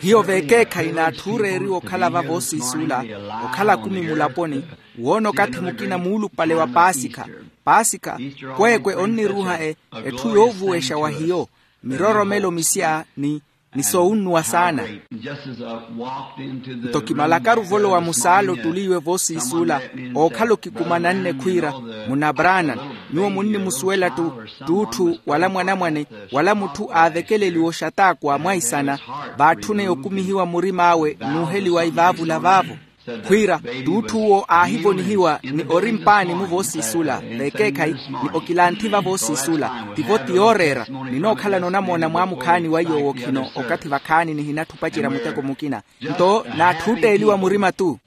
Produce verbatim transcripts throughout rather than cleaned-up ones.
Hiyo veekeekhayi n'atthu ooreeriwa okhala va voosiisula, okhala kumi mulaponi, woona okathi mukina muulupale wa paasikha. Paasikha, kweekwe onniruuha etthu yoovuwexa wa hiyo, miroromelo misya ni ni soowunnuwa saana. Nto kimalakaru volowa musaala ottuliiwe voosiisula, ookhala okikumananne khwiira, munabranani, nyuwo munnimusuwela ttuutthu wala mwanamwane, wala mutthu aavekeleliwa oxataakwa mwaisana, vaatthune okumihiwa murim'awe n'uheliwa ivaavula vaavo. Khwiira, ttuutthu uwo aahivonihiwa ni ori mpaani-mu voosiisula, veekeekhayi, ni okilanthi va voosiisula, tivo ti yooreera. Ninookhalana onamoona mwaamukhaani wa yoowo khino okathi vakhaani nihinatthi opacerya muteko mukina. Nto n'atthu ootteeliwa murima-ttu.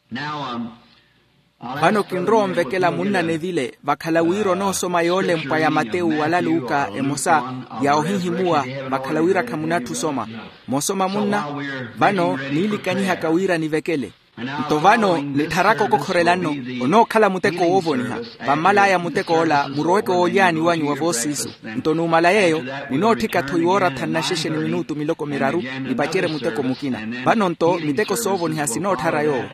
Vano kinrowa onvekela munna nevile vakhala wira onoosoma yoolempwa ya matewu wala luka emosa, ya ohihimuwa, vakhala wira khamunatthi osoma. Moosoma munna. Vano niilikanyihaka wira nivekele. Nto vano nittharaka okokhorela nno, onookhala muteko woovoniha. Vammal'aya muteko ola muroweke woolyani wanyu wa voosiisu. Nto numala yeeyo, ninootthika-tho iwooratha nnaxexe ni minutu miloko miraru, nipacerye muteko mukina. Vano nto miteko soovoniha sinootthara yoowo.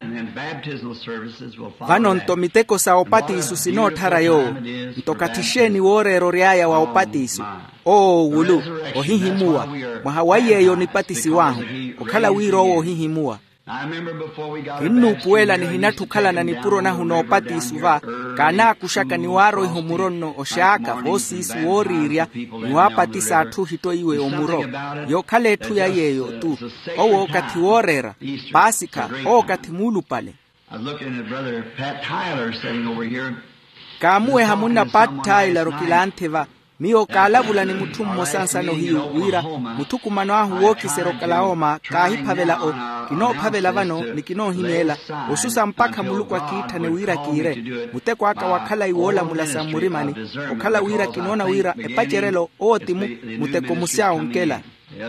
Vano nto miteko sa opatiisu sinootthara yoowo. Nto kathi xeeni wooreera ory'aya wa opatiisu? Owo wulu, ohihimuwa. Mwaha wa yeeyo nipatisiw'ahu, okhala wira owo ohihimuwa. Kinnuupuwela nihinatthi okhalana nipuro nahu n'opatiisu va, kaanaakuxaka ni waaroiha omuro nno oxaaka voosiisu wooriirya, ni waapatisa atthu ohittoiwe omuro. Yookhala etthu ya yeeyo-ttu. Owo kathi wooreera. Paasikha, owo kathi muulupale. Kaamuweha munna pat taylor okilanthi va. Miyo kaalavula ni mutthu mmosa nsano hiyu wira, muthukumano ahu wookiserya okalaoma kaahiphavela o. Kinoophavela vano ni kinoohimeela, osusa mpakha muluku akiitthane wira kiire. Muteko aka wa khalayi woolamula sa mmurimani, okhala wira kinoona wira epacerelo owo ti mu muteko musya onkela.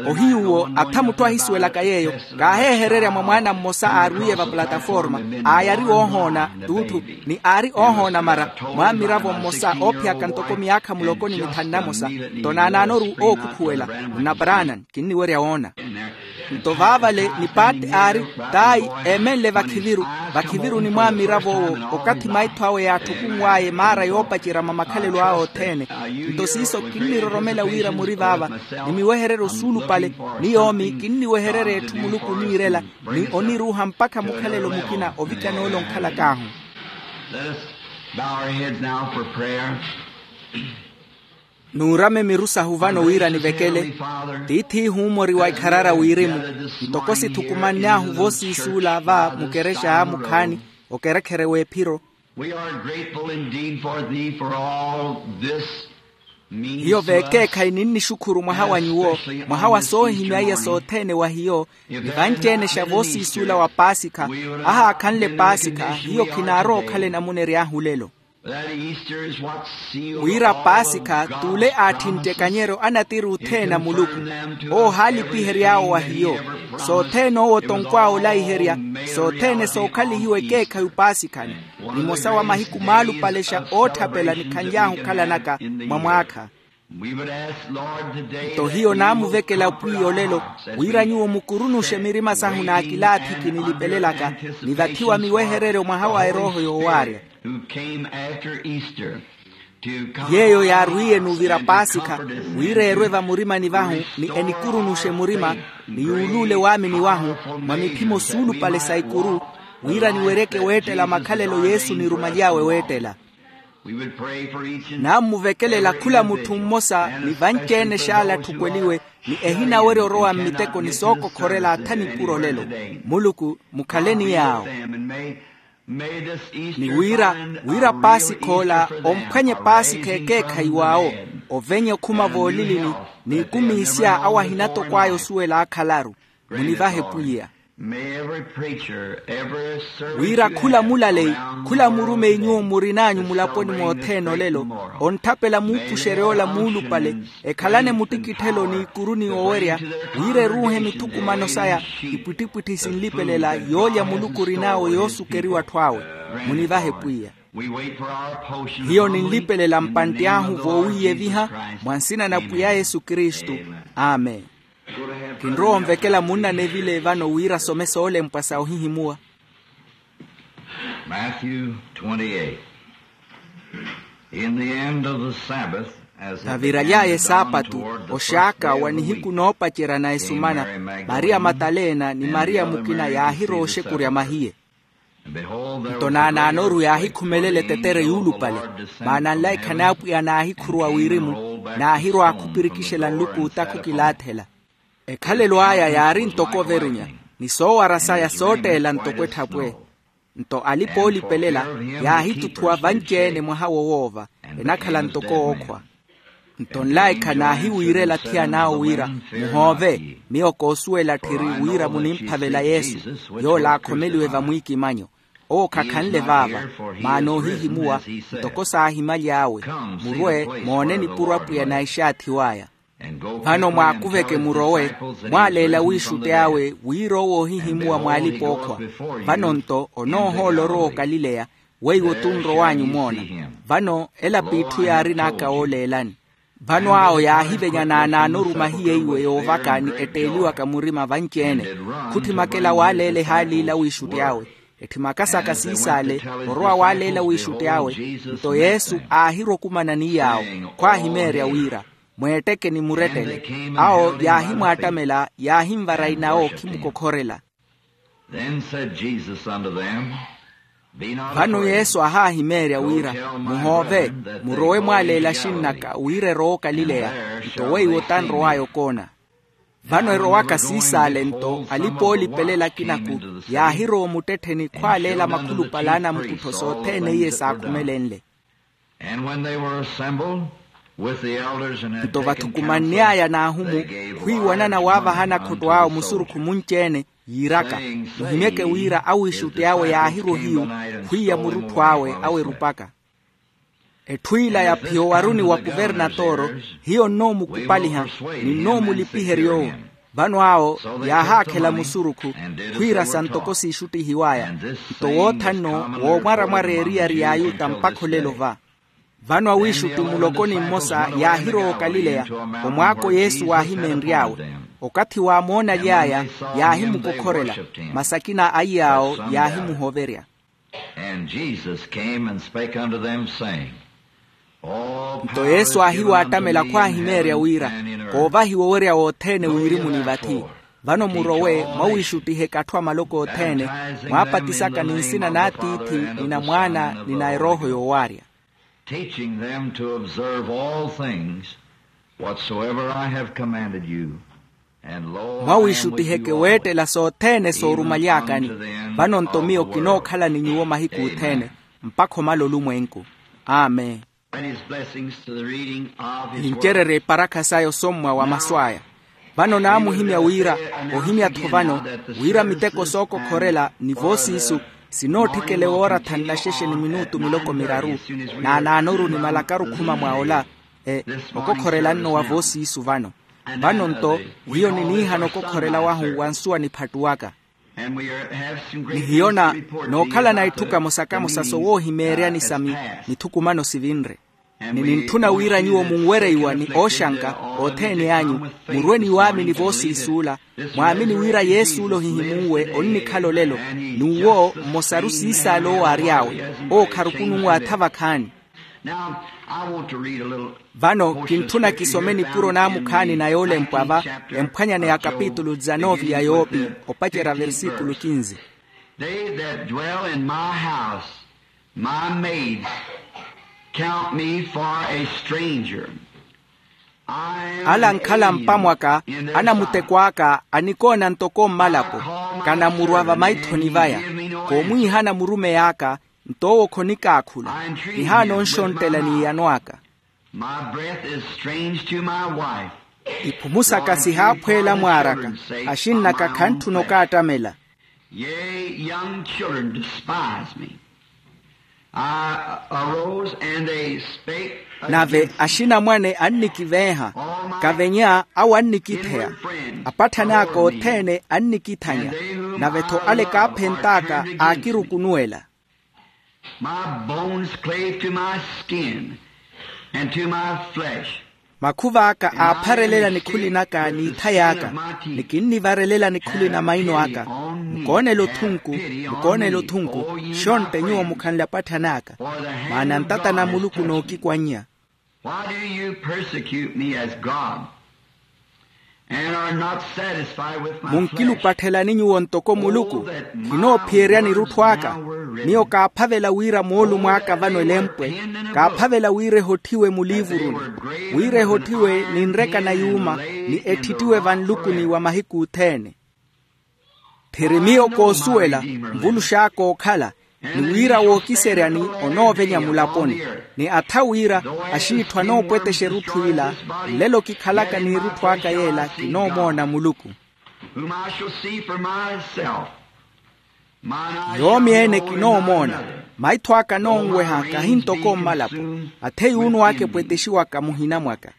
Ohiyu uwo atha mutthu ahisuwelaka yeeyo, kaaheehererya mwa mwaana mmosa aarwiiye va plataforma, aayari oohoona ttuutthu, ni aari oohoona mara, mwaamiravo mmosa oophiyaka ntoko myaakha muloko ni mithanu na mosa. Nto naanaanoru ookhukhuwela, nna branani kinniwerya woona. Nto vaavale ni paati aari, taayi, eemenle vakhiviru, vakhiviru ni mwaamiravo owo, okathi maitho awe yaatthukunw'aye maara yoopacerya mwa makhalelo awe othene. Nto siiso kinniroromela wira muri vaava, ni miwehereryo suulupale, ni yoomi kinniwehererya etthu muluku oniirela, ni oniruuha mpakha mukhalelo mukina ovikana ole onkhalak'ahu. Let us bow our heads now for prayer. Nuurame miru sahu vano wira nivekele. Tiith'ihu mori wa ikharara wirimu, ntoko sithukumann'ahu voosiisuula va mukerexa a mukhaani, okerekhere w'ephiro. We are grateful indeed for thee for all this means to us. Hiyo veekeekhayi ninnixukhuru mwaha wa nyuwo, mwaha wa soohimyaiya sothene wa hiyo, ni vanci-ene xa voosiisuula wa paasikha. Ahaakhanle paasikha hiyo khinaarowa okhala enamuna ery'ahu olelo. Wira paasikha t'ule aatthinttekanyeryo a natiri othene a muluku, owo ohaalipihery'awo wa hiyo. Sothene owo tonkw'awe olaiherya, sothene sookhalihiwa ekeekhayi opaasikhani, nimosa wa mahiku maalupale xa ootthapela nikhanly'ahu okhalanaka mwa mwaakha. Nto hiyo naamuvekela pwiya olelo, wira nyuwo mukurunuxe mirima sahu n'akilaathiki nilipelelaka, ni vathi wa miwehereryo mwaha wa erooho yoowaarya, yeeyo yaarwiiye n'uvira paasikha, wira eerwe vamurimani vahu, ni enikurunuxe murima, ni yuuluule waamini wahu, mwa miphimo suulupale sa ikuru, wira niweryeke weettela makhalelo yesu nirumaly'awe weettela. Naammuvekelela khula mutthu mmosa ni vanci-ene xaala atthukweliwe, ni ehinawerya orowa mmitekoni sookokhorela atha nipuro olelo. Muluku, mukhaleni yaawo. Ni wira, wira paasikha ola omphwanye paasikha ekeekhayi w'awo, ovenye okhuma voolilini, n'ikumi isya awo ahinatokw'aya osuwela aakhalaru. Munivahe pwiya. Wira khula mulaleyi, khula murumeyi nyuwo murin'anyu mulaponi mothene olelo, ontthapela muupuxerya ola muulupale, ekhalane muttikitthelo n'ikuru ni owerya, wira eruuhe mithukumano saya, ipwittipwitthi sinlipelela yoolya muluku orin'awe yoosukeriwa atthu awe. Munivahe pwiya. Hiyo ninlipelela mpantti ahu voowiiyeviha, mwa nsina na pwiya yesu kristu. Amen. Kinrowa onvekela munna nevile vano wira asome soolempwa sa ohihimuwa. Matthew twenty-eight. In the end of the Sabbath, as it began to dawn toward the first day of the week, came Mary Magdalene and the other Mary with the other Mary. Mutaleena ni mariya matalena ni mariya mukina yaahirowa oxekurya mahiye. Nto naanaanoru yaahikhumelela etetere yuulupale, maana nlaikha n'apwiya naahikhuruwa wirimu, naahirwa aakhupirikixela nluku otakhu kilaathela. Ekhalelo aya yaari ntoko overunya, ni soowara saya sootteela ntoko etthapwe. Nto alipa oolipelela yaahituthuwa vanci-ene mwaha wo woova, enakhala ntoko ookhwa. Nto nlaikha naahiwiirela athiyana awo wira, muhoove, miyo koosuwela tthiri wira munimphavela yesu, yoola aakhomeliwe vamwiikimanyo. Owo khakhanle vaava, maana oohihimuwa, ntoko saahimaly'awe. Murwe moone nipuro apwiya naixaathiw'aya. Vano mwaakuveke murowe, mwaaleela wiixutti awe wira owo oohihimuwa mwaalipa ookhwa. Vano nto onoohoola orowa okalileya, weiwo tunrow'anyu omoona. Vano ela p'itthu yaarin'aka wooleelani. Vano awo yaahivenya naanaanoru mahiye iwe yoovaka ni etteeliwaka murima vanci-ene. Khutthimakela waaleela ehaali ila wiixutti awe. Etthimakasaka siisaale, orowa waaleela wiixutti awe. Nto yesu aahirwa okumana ni yaawo, khwaahimeerya wira, mweetteke ni murettele. Awo yaahimwaattamela yaahinvara inawo okhimukokhorela. Then said Jesus unto them, Be not afraid. Vano yesu aahaahimeerya wira, muhoove, murowe mwaaleela axinn'aka wira erowa okalileya, nto weiwo tanrow'aya okoona. Vano erowaka siisaale nto alipa oolipelela akinaku yaahirowa omuttettheni khwaaleela makhulupale a anamukuttho sothene iye saakhumelenle. And when they were assembled with the elders and had taken counsel, they gave wise counsel. Nto vathukumanny'aya n'ahumu khwiiwanana waavahana khotto awo musurukhu munci-ene yiiraka, muhimyeke wira awiixutti awe yaahirwa ohiyu khwiiya murutthu awe awerupaka. Etthu ila ya phiyo waruni wa kuvernatoro hiyo nnoomukupaliha, ni nnoomulipiherya owo. Vano awo yaahaakhela musurukhu khwiirasa ntoko siixuttihiw'aya. Nto wootha nno woomwaramwara eriyari y'ayuta mpakha olelo va. Vano awiixutti mulokoni mmosa yaahirowa okalileya, omwaako yesu waahimeenry'awe. Okathi waamoonaly'aya yaahimukokhorela, masi akina a iy'awo yaahimuhoverya. And Jesus came and spake unto them, saying, All power is given unto me in heaven and in earth. Nto yesu aahiwaattamela khwaahimeerya wira, koovahiwa owerya wothene wirimuni vathi. Vano murowe mwawiixuttiheke atthu a maloko othene, mwaapatisaka ni nsina n'atiithi ni na mwaana ni na erooho yoowaarya. Teaching them to observe all things whatsoever I have commanded you. And lo, I am with you always, even unto the end of the world. Mwawiixuttiheke weettela sothene soorumaly'akani. Vano nto miyo kinookhala ni nyuwo mahiku othene, mpakha omala olumwenku. Amen. And his blessings to the reading of his word. Nincererye eparakha saya osommwa wa masu aya. Vano naamuhimya wira, ohimya-tho vano, wira miteko sookokhorela ni voosiisu sinootthikele woora thanu naxexe ni minutu miloko miraru, naanaanoru nimalakaru khuma mwa ola, e, okokhorela nno wa voosiisu vano. Vano nto hiyo niniihana okokhorela wahu wa nsuwa niphattuwaka. Ni hiyo na nookhalana itthu kamosa-kamosa sowoohimeeryani sa mithukumano sivinre. Ni nintthuna wira nyuwo munwereiwa ni ooxanka othene anyu, murwe ni waamini voosiisuula, mwaamini wira yesuula ohihimunwe onnikhala olelo, n'uwo mmosaru siisaala owo aary'awe. Owo kharukununwe atha vakhaani. Vano kintthuna kisome nipuro naamukhaani na yoolempwa va emphwanyane ya kapitulu dizanove ya yoopi, opacerya versikulu kinzi. They that dwell in my house, my maids, count me for a stranger. Ala ankhala mpamwaka, anamuteko aka anikoona ntoko mmalapo, kanamurwa vamaithoni vaya. Koomwiihana murumeyi aka, nto owo khonikaakhula. Kihaana onxonttela n'iyano aka. My breath is strange to my wife. Iphumu saka sihaaphweela mwaaraka, axinn'aka khantthuna okaattamela. Yea, young children despise me. I arose and they spake against me. Nave axinamwane annikiveeha, kavenya awo annikitheya, apatthani aka othene annikithanya, nave-tho ale kaaphent'aka aakirukunuwela. My bones clave to my skin and to my flesh. Makhuva aka aapharelela nikhuli naka n'itha yaka, ni kinnivarelela nikhuli na maino aka. Mukoonela othunku, mukoonela othunku. Xontte nyuwo mukhanle apatthani aka, maana ntata na muluku nookikwannya. Why do you persecute me as God, and are not satisfied with my flesh? Munkilupatthelani nyuwo ntoko muluku, khinoophiyerya nirutthu aka. Miyo kaaphavela wira moolumo aka vano elempwe, kaaphavela wira ehotthiwe muliivuruni, wira ehotthiwe ni nreka na yuuma, ni etthittiwe vanlukuni wa mahiku othene. Phiri miyo koosuwela, nvulux'aka ookhala, ni wira wookiseryani onoovenya mulaponi, ni atha wira, axiitthu anoopwetexa erutthu ila, nlelo kikhalaka n'irutthu aka yeela kinoomoona muluku. Whom I shall see for myself. Mine eyes shall behold, and none other. Yoomi ene kinoomoona, maitho aka anoonweha kahi ntoko mmalapo, athe yuunw'aka epwetexiwaka muhina mwaka.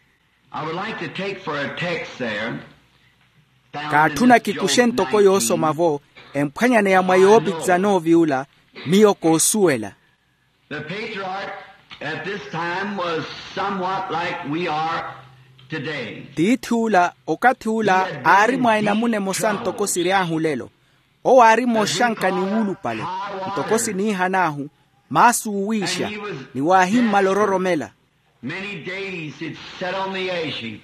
I would like to take for a text there, found in this Job nineteen. Kaatthuna kikuxe ntoko yoosoma-vo, emphwanyaneya mwa yoopikisa nooviula, miyo koosuwela. The patriarch at this time was somewhat like we are today. Tiithi ula, okathi ula, aari mwa enamuna emosa ntoko siry'ahu lelo. Owo aari mooxanka ni wuulupale, ntoko siniihan'ahu, maasu oowiixa, ni waahimmala ororomela. Many days he'd sat on the edge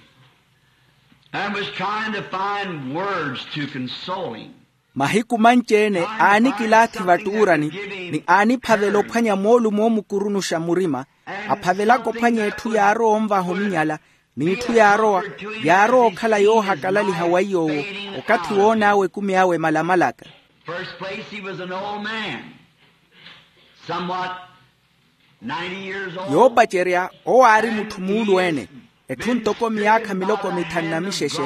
and was trying to find words to console him. Mahiku manci-ene aanikilaathi vattuurani, ni aaniphavela ophwanya moolumo oomukurunuxa murima, aphavelaka ophwanya etthu yaarowa onvaha ominyala, n'itthu yaarowa, yaarowa okhala yoohakalaliha wa iy'owo, okathi woon'awe ekumi awe malamalaka. First place, he was an old man, somewhat ninety years old. Yoopacerya, owo aari mutthu muulu-ene, etthu ntoko miyaakha miloko mithanu na mixexe.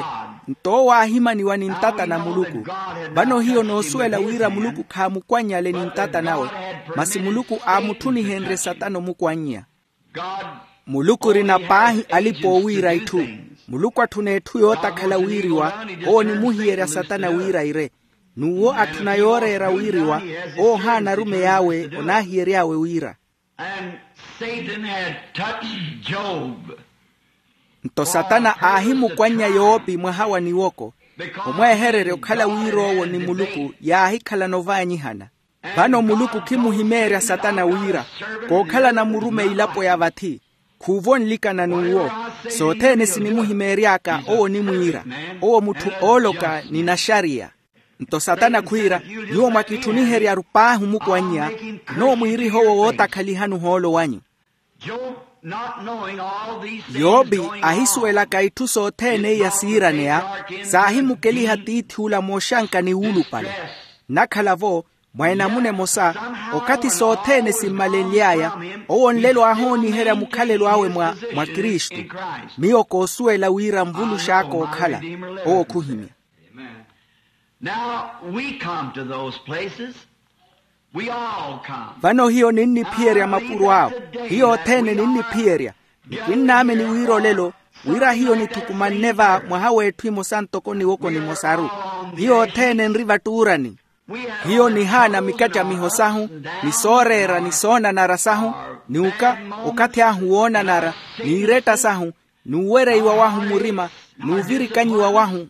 Nto owo aahimaniwa ni ntata na muluku. Vano hiyo noosuwela wira muluku khaamukwannyale ni ntata nawe, masi muluku aamutthunihenrye satana omukwannya. Muluku orina paahi alipa oowiira itthu. Muluku atthuna etthu yootakhala wiiriwa. Owo onimuhiyerya satana wiira ire. N'uwo atthuna yooreera wiiriwa. Owo ohaana arumeyi awe onaahiyery'awe wiira. And Satan had touched Job. Nto satana aahimukwannya yoopi mwaha wa niwoko, omwehererya okhala wira owo ni muluku yaahikhalana ovaanyihana. Vano muluku khimuhimeerya satana wira, kookhalana murumeyi ilapo ya vathi, khuuvo nlikana n'uwo. Sothene sinimuhimeery'aka owo onimwiira, owo mutthu ooloka ni naxariya. Nto satana khwiira, nyuwo mwakitthuniheryaru paahi omukwannya, kinoomwiiriha owo wootakhalihani ohoolo wanyu. Job, not knowing all these things going on in his life, yoobi ahisuwelaka itthu sothene iya siiraneya, saahimukeliha tiithi ula mooxanka ni wuulupale. Nnakhala-vo, mwa enamuna emosa, okathi sothene simmalenly'aya, owo nlelo aahooniherya mukhalelo awe mwa, mwa kristu. Miyo koosuwela wira nvulux'aka ookhala, owo khuhimya. Now, we come to those places. We all come. Vano hiyo ninniphiyerya mapuro awo. Hiyo othene ninniphiyerya. Ni kinnaamini wira olelo, wira hiyo nithukumanne va mwaha w'etthu emosa ntoko niwoko nimosaru. Hiyo othene nri vattuurani. Hiyo nihaana mikattamiho sahu, ni sooreera ni soonanara sahu, ni uka, okathi ahu woonanara, n'iretta sahu, n'uwereiwa wahu murima, n'uvirikanyiwa wahu.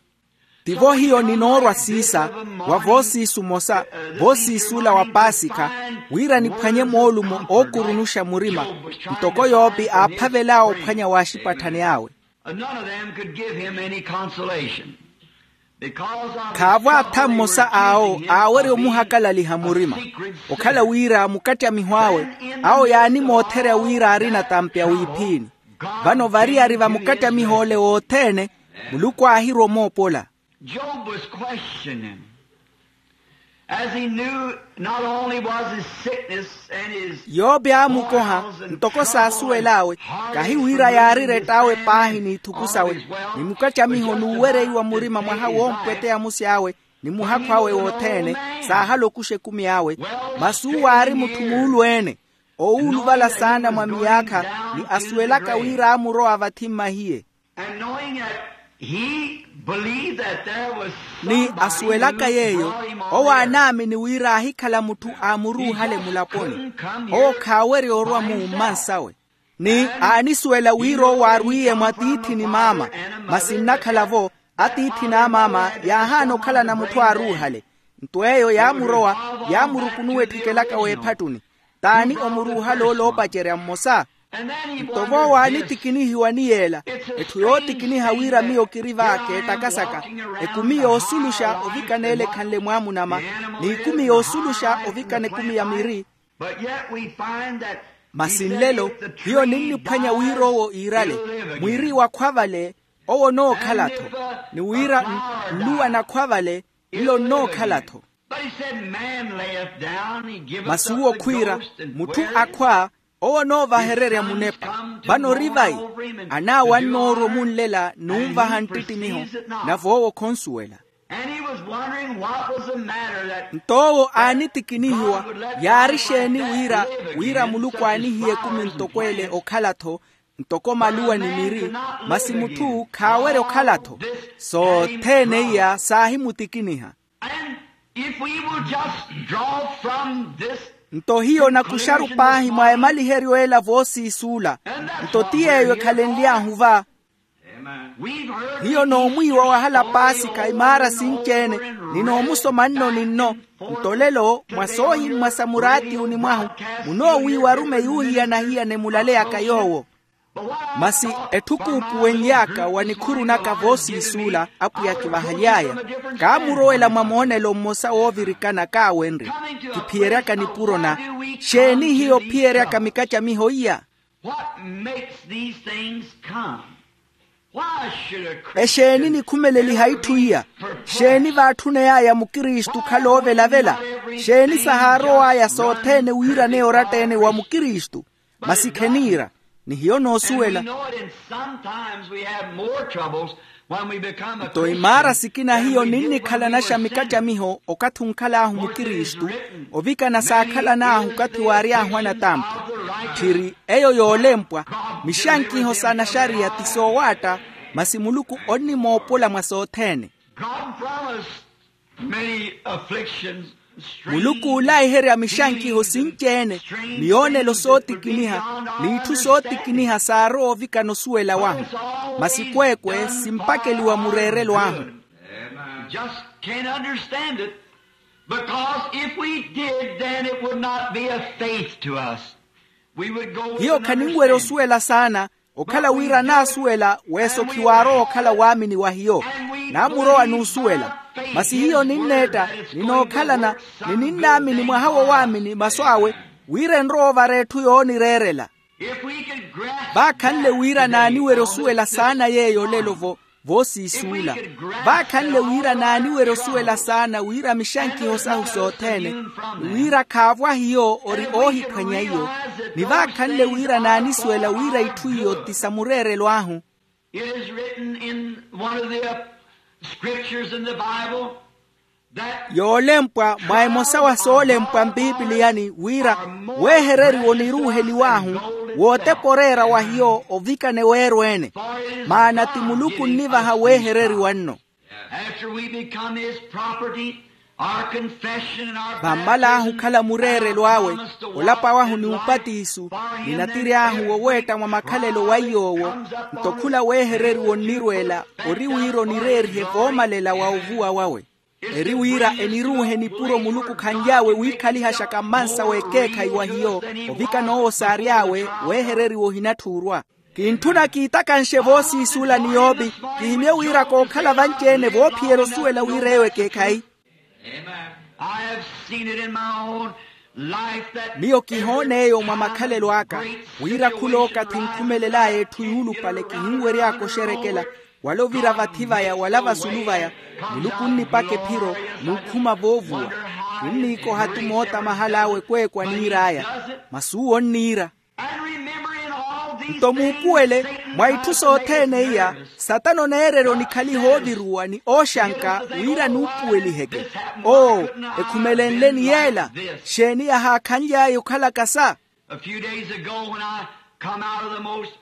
Tivo hiyo ninoorwa siisa, wa voosiisu omosa, voosiisu ola wa paasikha, wira niphwanye moolumo ookurunuxa murima, ntoko yoopi aaphavel'awe ophwanya waaxipatthani awe. None of them could give him any consolation. Khaavo atha mmosa awo aawerya omuhakalaliha murima, okhala wira mukattamihw'awe, awo yaanimootherya wira aarina tampi a wiiphiini. Vano variyari va mukattamih'ole wothene, muluku aahirwa omoopola. Job was questioning, as he knew not only was his sickness and his yoopi aamukoha, ntoko saasuwel'awe, kahi wira yaari rett'awe paahi n'ithuku sawe, ni mukattamiho n'uwereiwa murima mwaha woompweteya musi awe, ni muhakhu awe wothene, saahala okuxa ekumi awe. Masi uwo aari mutthu muulu-ene, oowuluvala saana mwa miyaakha, ni asuwelaka wira aamurowa vathi mmahiye. Ni asuwelaka yeeyo, owo aanaamini wira aahikhala mutthu aamuruuhale mulaponi. Owo khaawerya orwa-mu mmansawe. Ni aanisuwela wira owo aarwiye mwa tiithi ni maama. Masi nnakhala-vo, atiithi n'amaama yaahaana okhalana mutthu aaruuhale. Nto eyo yaamurowa, yaamurukunuwa etthikelaka w'ephattuni. T'ani omuruuhale ole oopacerya mmosa? Nto voowo aanitikinihiwa ni yeela. Etthu yootikiniha wira miyo kiri va keettakasaka, ekumi yoosuluxa ovikana ele ekhanle mwaamunama, n'ikumi yoosuluxa ovikana ekumi ya miri. Masi nlelo, hiyo ninniphwanya wira owo iirale, mwiiri wakhwa vale, owo onookhala-tho. Ni wira nluwa nakhwa vale, nlo nnookhala-tho. Masi uwo khwiira, mutthu akhwa, owo onoovahererya munepa. Vano ori vayi? Anaawannoorwa omunlela n'unvaha nttittimiho, nave owo khonsuwela. Nto owo aanitikinihiwa, yaari exeeni wira, wira muluku aanihiye ekumi ntoko ele okhala-tho, ntoko maluwa ni miri, masi mutthu khaawerya okhala-tho. Sothene iya saahimutikiniha. Nto hiyo nakuxaru paahi mwa emaliheryo ela voosiisuula. Nto ti yeeyo ekhalenly'ahu va. Hiyo noomwiiwa wahala paasikha imaara sinci-ene, ni noomusoma nno ni nno. Nto lelo mwa soohimmwa sa muraatiwuni mwahu, munoowiiwa arume yuuhiyana-hiyana emulaleyaka yoowo. Masi etthu kuupuwenly'aka wa nikhuru naka voosiisuula apwiya akivahaly'aya, kaamurowela mwa moonelo mmosa woovirikana kaawenrye. Kiphiyeryaka nipuro na, xeeni hiyo ophiyeryaka mikacamiho iya? Exeeni nikhumeleliha itthu iya? Xeeni vaatthuney'aya mukristu okhala oovelavela? Xeeni sahaarow'aya sothene wiiraneya oratta-ene wa mukristu? Masi kheniira, ni hiyo noosuwela. Nto imaara sikina hiyo ninnikhalanaxa mikacamiho okathi onkhal'ahu mukristu, ovikana saakhalan'ahu okathi waary'ahu anatampwa. Tthiri eyo yoolempwa, mixankiho sa naxariya ti soowaatta, masi muluku onnimoopola mwa sothene. Muluku oolaiherya mixankiho sinci-ene, miyoonelo sootikiniha, n'itthu sootikiniha saarowa ovikana osuwela wahu. Masi kweekwe simpakeliwa mureerelo ahu. Just can't understand it, because if we did, then it would not be a faith to us. Hiyo khaninwerya osuwela saana, okhala wira naasuwela weeso khiwaarowa okhala waamini wa hiyo. Naamurowa n'usuwela. Masi hiyo ninneetta, ninookhalana, ni ninnaamini mwaha wo waamini masu awe, wira enrowa ovara etthu yoonireerela. Vaakhanle wira naaniwerya osuwela saana yeeyo olelo-vo, voosiisuula. Vaakhanle wira naaniwerya osuwela saana wira mixankiho sahu sothene, ni wira khaavo ahiyo ori oohiphwanya iyo, ni vaakhanle wira naanisuwela wira itthu iyo ti sa mureerelo ahu. It is written in one of the scriptures in the Bible. Yoolempwa mwa emosa wa soolempwa mpipiliyani wira, weehereriwa oniruuheliw'ahu wootepa oreera wa hiyo ovikana eweero ene. Maana ti muluku onnivaha weehereriwa nno. After we become his property, our confession and our vammal'ahu okhala mureerelo awe, olapa wahu ni upatiso, ni natiri ahu woweetta mwa makhalelo wa iy'owo. Nto khula weehereriwa onnirweela, ori wira onireerihe voomalela wa ovuwa wawe. Eri wira eniruuhe nipuro muluku khanly'awe wiikhalihaxaka mmansa w'ekeekhayi wa hiyo, ovikana owo saary'awe weehereriwa ohinatthuurwa. Kintthuna kiitakanxe voosiisuula ni yoopi, kihimye wira kookhala vanci-ene voophiyela osuwela wira eyo ekeekhayi. I have seen it in my own life that miyo kihoona eyo mwa makhalelo aka, wira khulooka thinkhumelel'aya etthu yuulupale kihinwery'aka oxerekela, wala ovira vathi vaya wala vasulu vaya, muluku onnipaka ephiro, n'ukhuma voovuwa. Kinniikoha-tu moota mahal'awe ekweekwe aniir'aya. Masi uwo onniira. Nto muupuwele, mwa itthu sothene iya, satana oneererya onikhaliha ooviruwa ni ooxanka wira nuupuweliheke. Oo, ekhumelenle-ni yeela, xeeni yahaakhanly'aya okhala kasa? A few days ago, when I come out of the most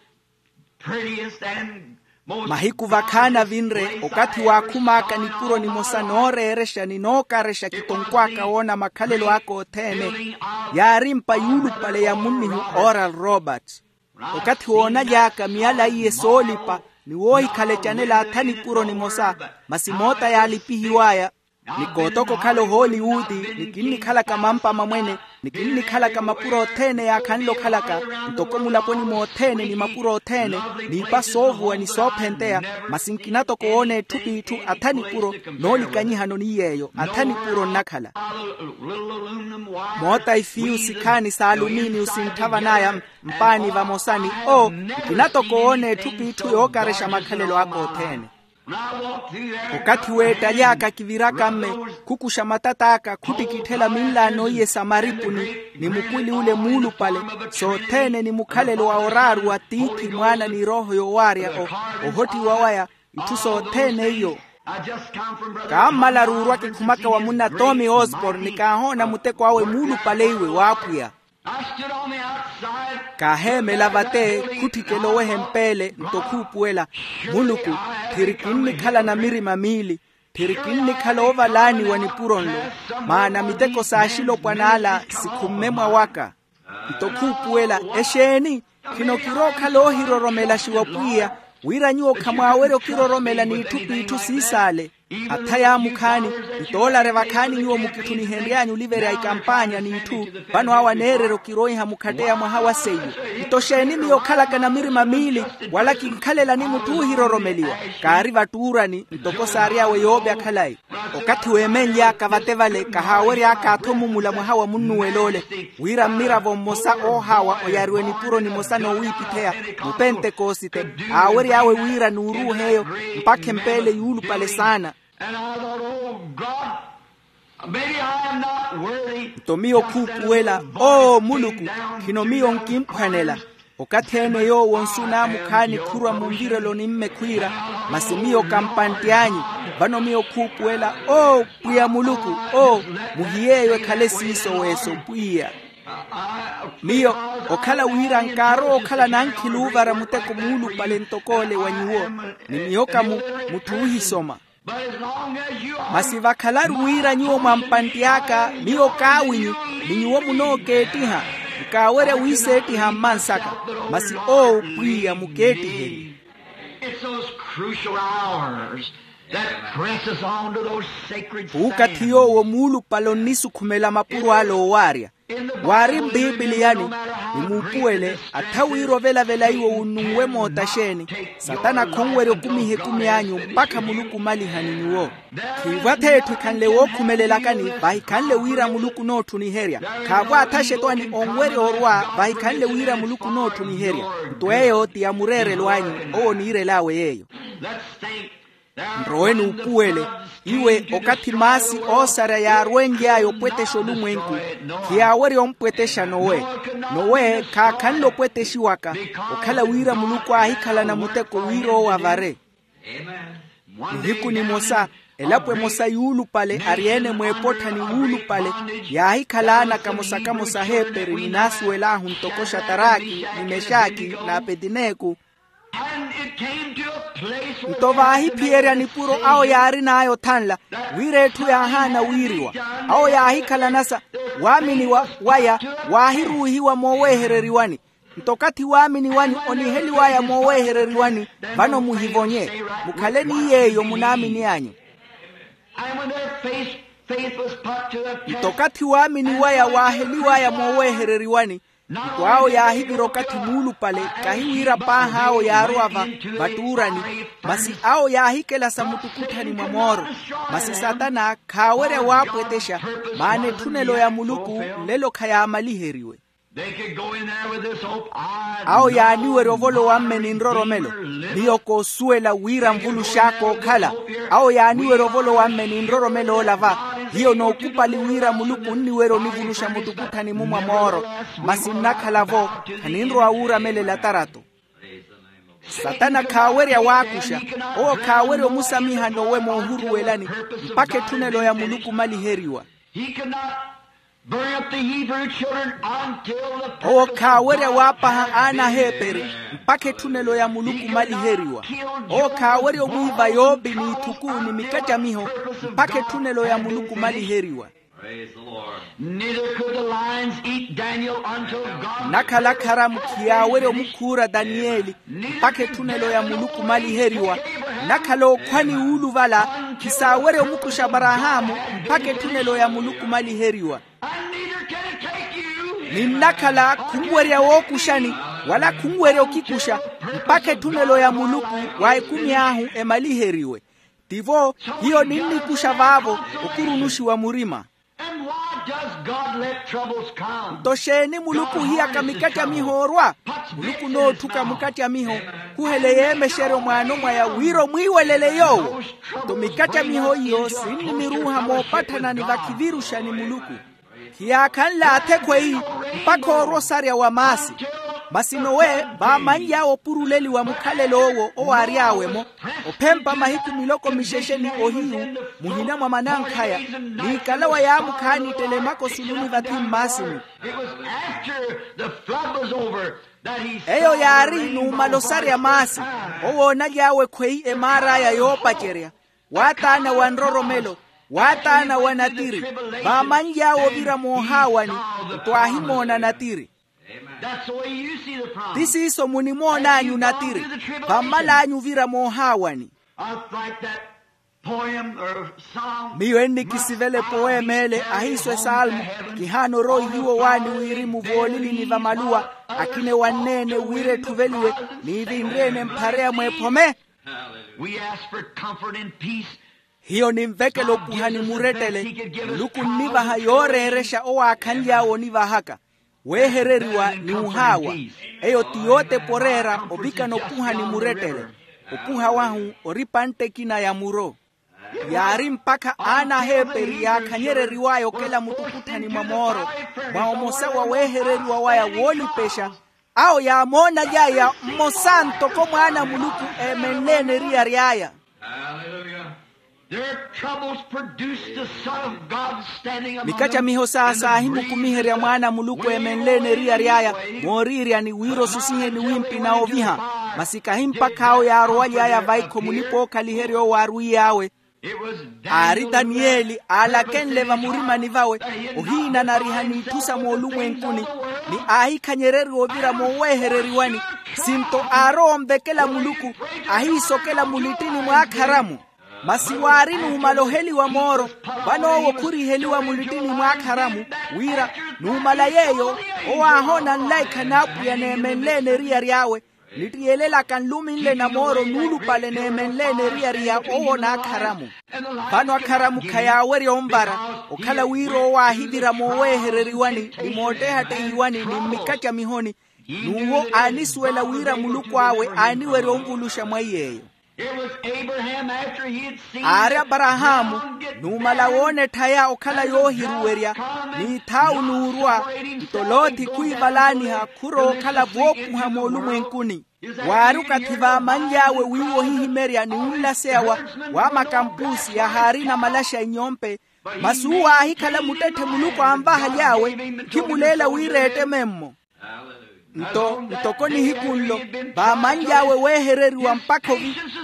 prettiest and most mahiku vakhaana vinre, okathi waakhumaaka nipuro nimosa nooreerexa ni nookarexa kitonkw'aka woona makhalelo aka othene, yaari mpa yuulupale ya munnihu Oral Roberts. Okathi woonaly'aka miyala iye soolipa ni woohikhala ecanela atha nipuro nimosa, masi moota yaalipihiw'aya. Ni kootoko okhala ohooliwuti, ni kinnikhalaka mampa mamwene, ni kinnikhalaka mapuro othene yaakhanle okhalaka, ntoko mulaponi mothene ni mapuro othene, n'ipa soovuwa ni soophenteya, masi nkina toko woona etthu p'itthu atha nipuro. Noolikanyihano ni yeeyo atha nipuro nnakhala. Moota ifiyu sikhaani s'aluminiyu sinthavan'aya mpaani vamosa ni o, nkina toko woona etthu p'itthu yookarexa makhalelo aka othene. Okathi weettaly'aka kiviraka mme, khukuxa matat'aka khuttikitthela minlaano iye sa maripuni, ni mukwili ule muulupale, sothene ni mukhalelo wa oraaru wa tiithi mwaana ni erooho yowaarya ohottiwa waya, itthu sothene iyo. Kaammalaru orwa kikhumaka wa munna tommy osborne ni kaahoona muteko awe muulupale iwe w'apwiya. Kaaheemela vate, khutthikela oweha empeele nto khuupuwela, muluku, phiri kinnikhala na mirima miili, phiri kinnikhala oovalaaniwa nipuro nlo, maana miteko s'axilopwan'ala sikhumme mwawaka. Nto khuupuwela, exeeni? Khino kirookhala oohiroromelaxiwa pwiya, wira nyuwo khamwaawerya okiroromela n'itthu p'itthu siisaale. Atha yaamukhaani, nto oolare vakhaani nyuwo mukitthunihenry'anyu oliverya ikampaanya n'itthu, vano awo aneererya okiroiha mukhatteya mwaha wa seiyo. Nto xeeni miyo okhalaka na mirima miili, wala kinkhalelani mutthu oohiroromeliwa? Kaari vattuurani ntoko saary'awe yoopya khalayi. Okathi weemenly'aka vate vale kahaawery'aka athomumula mwaha wa munnuwel'ole, wira mmiravo mmosa oohaawa oyariwe nipuro nimosa noowiipitheya, mupentekosite, aawery'awe wira nuuruuhe eyo mpakha empeele yuulupale saana. Nto miyo khuupuwela, oo muluku, khino miyo nkimphwanela. Okathi-ene yoowo nsu naamukhaani khurwa munvireloni mme khwiira, masi miyo kampantt'anyu. Vano miyo khuupuwela, oo pwiya muluku, oo, muhiy'eyo ekhale siiso weeso pwiya. Miyo, okhala wira nkaarowa okhala nankhili oovara muteko muulupale ntok'ole wa nyuwo, ni miyo ka mu, mutthu oohisoma. Masi vakhalaru wira nyuwo mwampantti aka, miyo kaawinyu, ni nyuwo munookeettiha. Nkaawerya wiiseettiha mmansaka. Masi oo pwiya mukeettihenyu. It's those crucial hours that presses on to those sacred sands. Puukathi yoowo muulupale onnisukhumela mapuro ale oowaarya. Waari mpiipiliyani, ni muupuwele, atha wira ovelavela iwo wunnunwe moota xeeni, satana khonwerya okumiha ekumi anyu mpakha muluku omalihani nyuwo. Khiivo atha etthu ekhanle wookhumelelakani vahikhanle wira muluku onoottuniherya. Khaavo atha axetwani onwerya orwa vahikhanle wira muluku onoottuniherya. Nto eyo ti ya mureerelo anyu, owo oniirel'awe yeeyo. Nrowe nuupuwele, iwe okathi maasi oosarya yaarwenly'aya opwettexa olumwenku, khiyaawerya ompwettexa nowe. Nowe khaakhanle opwettexiwaka, okhala wira muluku aahikhalana muteko wira owo avare. Nihiku nimosa, elapo emosa yuulupale ari-ene mweepottha ni wuulupale, yaahikhala aana kamosa-kamosa aheeperi ni naasuwel'ahu ntoko xataraki, ni mexaki, n'apetineku. Nto vaahiphiyerya nipuro awo yaarin'aya othanla, wira etthu yaahaana wiiriwa. Awo yaahikhalana sa, waamini waya waahiruuhiwa mooweehereriwani. Nto okathi waamini wanyu oniheliw'aya mooweehereriwani, vano muhivonye, mukhale ni yeeyo munaamini anyu. Nto okathi waamini waya waaheliw'aya mooweehereriwani, nto awo yaahivira okathi muulupale, kahi wira paahi awo yaarowa vattuurani, masi awo yaahikelasa muttukutthani mwa mooro. Masi satana khaawerya waapwettexa, maana etthunelo ya muluku nlelo khayaamaliheriwe. Awo yaaniwerya ovolowa mme ni nroromelo. Miyo koosuwela wira nvulux'aka okhala. Awo yaaniwerya ovolowa mme ni nroromelo olava. Hiyo nookupali wira muluku onniwerya onivuluxa muttukutthani-mu mwa mooro. Masi nnakhala-vo, khaninrowa wuuramelela tarato. Satana khaawerya waakuxa. Owo khaawerya omusamiha nowe moohuruwelani, mpakha etthunelo ya muluku omaliheriwa. Owo khaawerya waapaha aana aheeperi, mpakha etthunelo ya muluku omaliheriwa. Owo khaawerya omwiiva yopi n'ithuku ni mikacamiho, mpakha etthunelo ya muluku omaliheriwa. Neither could the lions eat Daniel until God. Nnakhala akharamu khiyaawerya omukhuura taniyeli mpakha etthunelo ya muluku maliheriwa. Nnakhala okhwani wuuluvala khisaawerya omukuxa aparahaamu mpakha etthunelo ya muluku maliheriwa. Ni nnakhala khunwerya wookuxani wala khunwerya okikuxa mpakha etthunelo ya muluku wa ekumi ahu emaliheriwe. Tivo hiyo ninnikuxa vaavo okurunuxiwa murima. Nto xeeni muluku ohiyaka mikattamiho orwa? Muluku onootthuka mukattamiho khuhele yeemexeryo mwaano mwaya wira omwiiwelele yoowo. Nto mikattamiho iyo sinniniruuha moopatthana ni vakhiviruxa ni muluku. Khiyaakhanle athekhweyi mpakha orwa osarya wa maasi. Masi nowe vaamanly'awe opuruleliwa mukhalelo owo owaary'awe-mo ophempa mahiku miloko mixexe ni ohiyu muhina mwa manankhaya. N'ikalawa yaamukhaani ttelemaka osuluni vathi mmaasini. Eyo yaari numala osarya maasi owoonaly'awe khweyi emaar'aya yoopacerya waataana wa nroromelo waataana wa natiri. Vaamanly'awe ovira moohaawani nto aahimoona natiri. Ti siiso munimoon'anyu natiri vammal'anyu ovira moohaawani. Miyo ennikisivela epoema ele ahiiso esalmo. Kihaana orowa ihiwo waani wirimu voolilini va maluwa akina ewanneene wira etthuveliwe niivinre-ene mphareya mweephome. Hiyo ninvekela okuhani murettele. Muluku nnivaha yooreerexa owaakhanly'awe onivahaka weehereriwa ni uhaawa. Eyo ti yootepa oreera ovikana okuhani murettele. Okuha wahu ori pantte ekina ya muro. Yaari mpakha aana aheeperi yaakhanyereriw'aya okela muttukutthani mwa mooro mwa omosa wa weehereriwa waya woolipexa. Awo yaamoonaly'aya mmosa ntoko mwaana a muluku eemenleene eriyari aya. Mikattamiho saa saahimukumiherya mwaana a muluku eemenleene eriyari aya mooriiryani wira osusihe ni wimpi na oviha. Masi kahi mpakha awo yaarowaly'aya vaikho mulipa-ookhaliherya owo aarwiy'awe. Aari taniyeli aalakenle vamurimani vawe ohiinanariha n'itthu sa moolumwenkuni ni aahikhanyereriwa ovira mooweehereriwani. Sinto aarowa onvekela muluku ahiisokela mulittini mw'akharamu. Masi waari numala oheliwa mooro vanoowo khuriheliwa mulittini mw'akharamu wira numala yeeyo owo aahoona nlaikha n'apwiya neemenleene eriyari awe. Nittiyeelelaka nluminle na mooro nuulupale neemenleene eriyari ya owo n'akharamu. Vano akharamu khayaawerya onvara okhala wira owo aahivira mooweehereriwani ni moottehattehiwani ni mmikatthamihoni. N'uwo aanisuwela wira muluku awe aaniwerya onvuluxa mwa iy'eyo. Aari aparahaamu numala woona etthaya okhala yoohiruwerya n'ithaawu n'urwa. Nto loothi khwiivalaaniha khurowa okhala voopuha moolumwenkuni. Waari okathi vaamanly'awe wiiwa ohihimerya ni onlaseya wa makampusi yahaarina malaxa inyompe. Masi uwo aahikhala muttetthe muluku anvahaly'awe. Khimuleela wira eettememmo. Nto ntoko nihiku nlo vaamanly'awe weehereriwa mpakha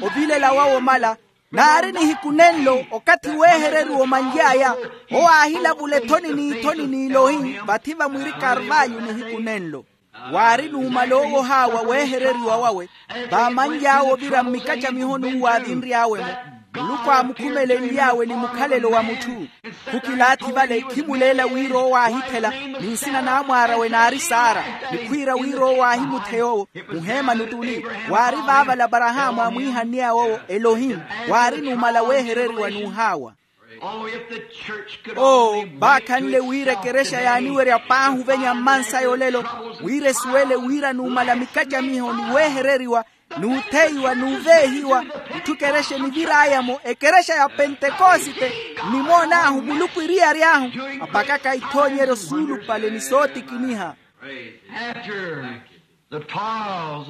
ovilelela wawe omala. Naari nihiku nenlo okathi weehereriwa omanly'aya owo aahilavula ethoni n'ithoni n'ilohi vathi vamwiri karvalyu nihiku nenlo. Waari numala owohaawa weehereriwa wawe vaamanly'awe ovira mmikatthamihoni uwo aavinry'awe-mo. Muluku aamukhumelenly'awe ni mukhalelo wa mutthu. Khukilaathi vale khimuleela wira owo aahithela ni nsina n'amwaar'awe naari sara ni khwiira wira owo aahimutheya owo muheemani ottuli. Waari vaavala aparahaamu aamwiihanniy'awe owo elohimu. Waari numala weehereriwa n'uhaawa. Oo vaakhanle wira ekerexa yaaniwerya paahi ovenya mmansaya olelo wira esuwele wira numala mikattamiho ni weehereriwa n'utheiwa n'uveehiwa. Itthu ekerexa enivir'aya-mo ekerexa ya pentekosite nnimoon'ahu muluku eriyari-ahu apakaka ithoonyeryo suulupale ni sootikiniha.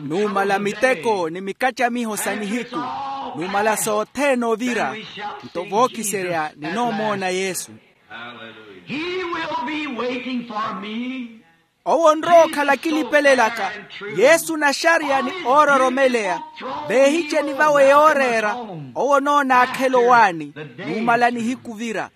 Numala miteko ni mikattamiho sa nihiku numala sothene ovira nto vookiserya ninoomoona yesu. He will be waiting for me. Owo onrowa okhala akilipelelaka. Yesu naxariya ni oororomeleya. Veehiceni vawe yooreera. Owo onoona akhela owaani. Numala nihiku ovira.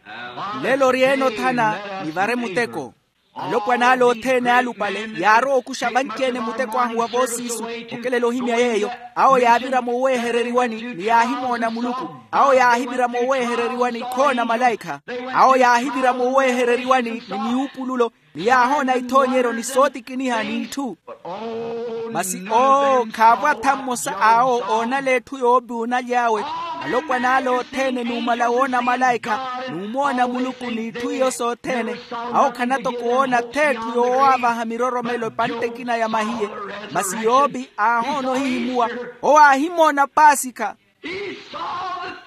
Nlelo ori-ene othana. Nivare muteko. Alopwan'ale othene alupale yaarowa okuxa vanci-ene muteko ahu wa voosiisu. Okelela ohimya yeeyo. Awo yaavira mooweehereriwani ni yaahimoona muluku. Awo yaahivira mooweehereriwani khoona malaikha. Awo yaahivira mooweehereriwani ni miwupululo. Ni yaahoona ithoonyeryo ni sootikiniha n'itthu. Masi oo khaavo atha mmosa awo oonala etthu yoopi onaly'awe. Alopwan'ale othene numala woona malaikha, numoona muluku n'itthu iyo sothene. Awo khana toko woona th'etthu yoowaavaha miroromelo epantte ekina ya mahiye. Masi yoopi aahoona ohihimuwa. Owo aahimoona paasikha. He saw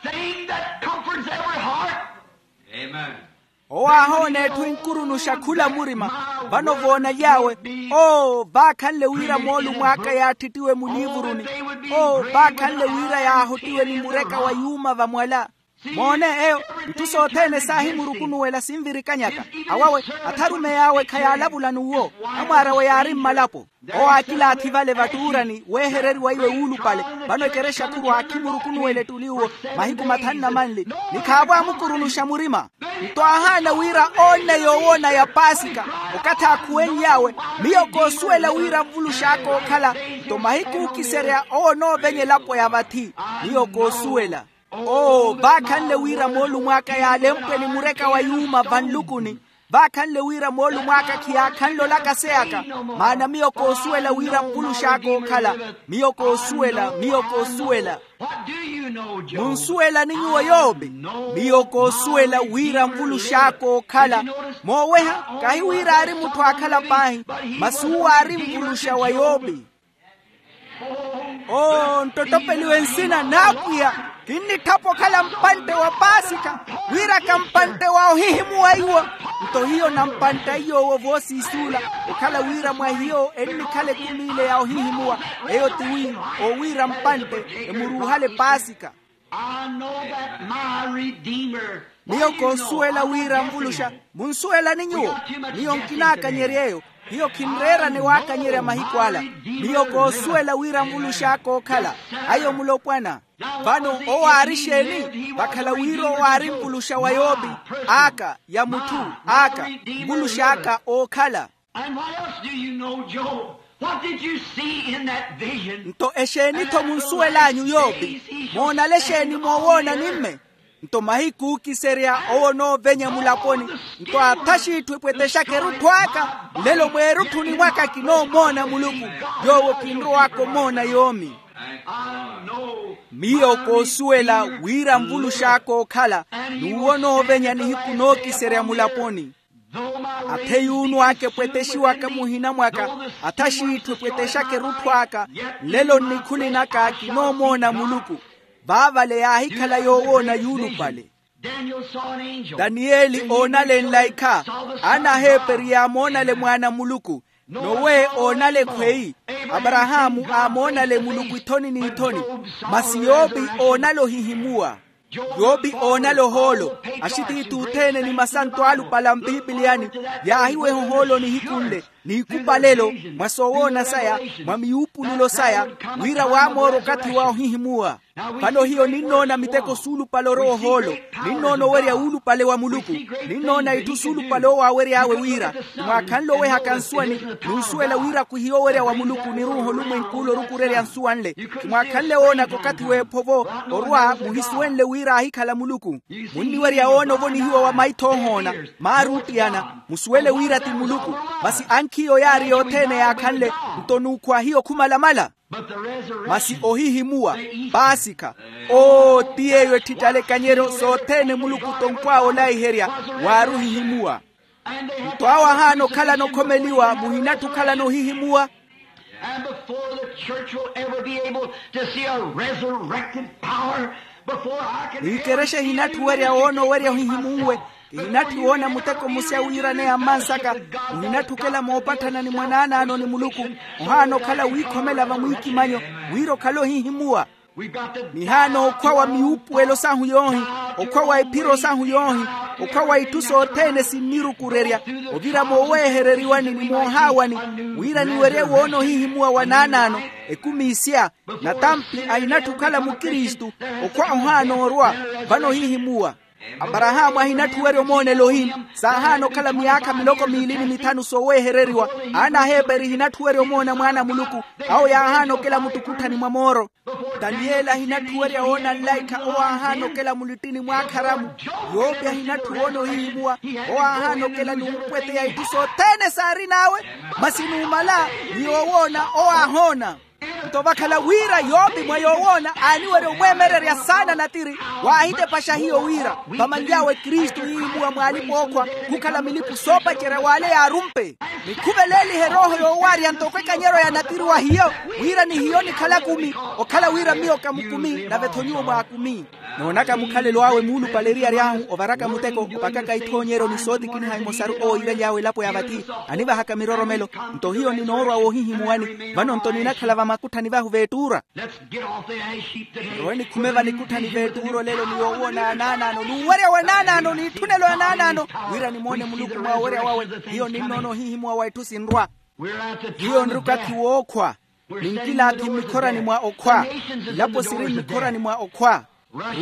the thing that comforts every heart. Owo aahoona etthu enkurunuxa khula murima. Vano voonaly'awe. Oo vaakhanle wira moolumo aka yaattittiwe muliivuruni. Oo vaakhanle wira yaahottiwe ni mureka wa yuuma vamwala. Moone eyo. Itthu sothene saahimurukunuwela sinvirikanyaka. Awawe atharumeyi awe khayaalavula n'uwo. Amwaar'awe yaari mmalapo. Owo aakilaathi vale vattuurani weehereriwa iwe wuulupale. Vano ekerexa khuru aakhimurukunuwela ettuli uwo mahiku mathanu na manli. Ni khaavo aamukurunuxa murima. Nto aahaana wira oonne yoowoona ya paasika. Okathi aakhuwenly'awe, miyo koosuwela wira nvulux'aka ookhala. Nto mahiku ookiserya owo onoovenya elapo ya vathi. Miyo koosuwela. Oo vaakhanle wira moolumw'aka yaalempwe ni mureka wa yuuma vanlukuni. Vaakhanle wira moolumw'aka khiyaakhanle olakaseyaka. Maana miyo koosuwela wira nvulux'aka ookhala. Miyo koosuwela miyo koosuwela. Munsuwelani nyuwo yoopi? Miyo koosuwela wira nvulux'aka ookhala. Mooweha kahi wira aari mutthu aakhala paahi. Masi uwo aari nvuluxa wa yoopi. Oo nttottopeliwe nsina n'apwiya. Kinnitthapa okhala mpantte wa paasikha wira ka mpantte wa ohihimuwa iwo. Nto hiyo na mpantte a iy'owo voosiis'ula okhala wira mwa hiyo ennikhala ekumi ile ya ohihimuwa. Eyo ti wi owiira mpantte emuruuhale paasikha. Miyo koosuwela wira nvuluxa. Munsuwelani nyuwo? Miyo nkinaakanyerya eyo. Hiyo khinreerane waakanyerya mahiku ala. Miyo koosuwela wira nvulux'aka ookhala. Ayo mulopwana. Vano owo aari exeeni? Vakhala wira owo aari nvuluxa wa yoopi. Aka ya mutthu. Aka nvulux'aka ookhala. Nto exeeni-tho munsuwel'anyu yoopi? Moonale exeeni moowoona nimme? Nto mahiku ookiserya owo onoovenya mulaponi. Nto athaxiitthu epwetexaka erutthu aka. Nlelo mweerutthuni mwaka kinoomoona muluku. Yoowo kinrow'aka omoona yoomi. Miyo koosuwela wira nvulux'aka ookhala. N'uwo onoovenya nihiku nookiserya mulaponi. Athe yuunw'aka epwetexiwaka muhina mwaka. Athaxiitthu epwetexaka erutthu aka. Nlelo nnikhuni naka kinoomoona muluku. Vaavale yaahikhala yoowoona yuulupale. Daniyeli oonale nlaikha. Ana aheeperi yaamoonale mwaana a muluku. Nowe oonale ekhweyi. Aparahaamu aamoonale muluku ithoni n'ithoni. Masi yoopi oonale ohihimuwa. Yoopi oonale ohoolo. Axitiithi othene ni masanto aalupale a mpipiliyani yaahiweha ohoolo nihiku nle n'ikupalelo mwa soowoona saya, mwa miyuupululo saya, wira waamoora okathi wa ohihimuwa. Vano hiyo ninnoona miteko suulupale orowa ohoolo. Ninnoona owerya uulupale wa muluku. Ninnoona itthu suulupale owo aawery'awe wira, ti mwaakhanle owehaka nsuwani. N'usuwela wira khuhiya owerya wa muluku oniruuha olumwenk'ule orukurerya nsuwa nle. Ti mwaakhanle woonaka okathi w'ephovo orwa muhisuwenle wira aahikhala muluku. Munniwerya woona ovonihiwa wa maitho oohoona, maari oottiyana. Musuwele wira ti muluku. Masi ankhiiyo yaari yothene yaakhanle. Nto n'ukhwa hiyo khumalamala. Masi ohihimuwa, paasikha. Oo ti yeeyo etthi talekanyeryo sothene muluku tonkw'awe olaiherya. Waari ohihimuwa. Nto awo ahaana okhalana okhomeliwa muhinatthu okhalana ohihimuwa. And before the church will ever be able to see a resurrected power, before I can ni ekerexa ehinatthu werya woona owerya ohihimunwe. Kihinatthu woona muteko musya wiiraneya mmansaka. Muhinatthu okela moopatthana ni mwanaanaano ni muluku. Ohaana okhala wiikhomela vamwiikimanyo wira okhale ohihimuwa. Nihaana okhwa wa miwuupuwelo sahu yoohi, okhwa wa iphiro sahu yoohi, okhwa wa itthu sothene sinnirukurerya, ovira mooweehereriwani ni moohaawani, wira niwerye woona ohihimuwa wa naanaano, ekumi isiya, natampi ahinatthi okhala mukristu, okhwa ohaana orwa. Vano ohihimuwa, aparahaamu ahinatthi owerya omoonela ohini, saahaana okhala miyaakha miloko miili ni mithanu sooweehereriwa. Aana a heperi ehinatthi owerya omoona mwaana a muluku, awo yaahaana okela muttukutthani mwa mooro. Taniyeli ahinatthi owerya woona nlaikha owo aahaana okela mulittini mw'akharamu. Yopi ahinatthi woona ohihimuwa, owo aahaana okela ni ompweteya itthu sothene saarin'awe. Masi numala, ni yoowoona owo aahoona. Nto vakhala wira yopi mwa yoowoona aaniwerya omweemererya saana natiri, waahitepaxa hiyo wira vamanly'awe kristu ihimuwa mw'alipa-ookhwa, khukhala milipu soopacerya w'ale yaarumpe. Nikhuveleelihe erooho yoowaarya ntoko ekanyeryo ya natiri wa hiyo, wira ni hiyo nikhala kumi, okhala wira miyo ka mukumi nave-tho nyuwo mwaakumi. Noonaka mukhalelo awe muulupale eriyari ahu ovaraka muteko opakaka ithoonyeryo ni sootikiniha imosaru owo iivaly'awe elapo ya vathi, anivahaka miroromelo. Nto hiyo ninoorwa woohihimuwani, vano nto ninakhala vamakutthani vahu veettuura. Rowe nikhume vanikutthani veettuura olelo ni yoowoona anaanaano n'uwerya wa anaanaano n'itthunelo anaanaano, wira nimoone muluku mwa owerya wawe. Hiyo ninnoona ohihimuwa wa itthu sinrwa. Hiyo nri okathi wookhwa. Ninkilaathi mmikhorani mwa okhwa. Ilapo siri mmikhorani mwa okhwa.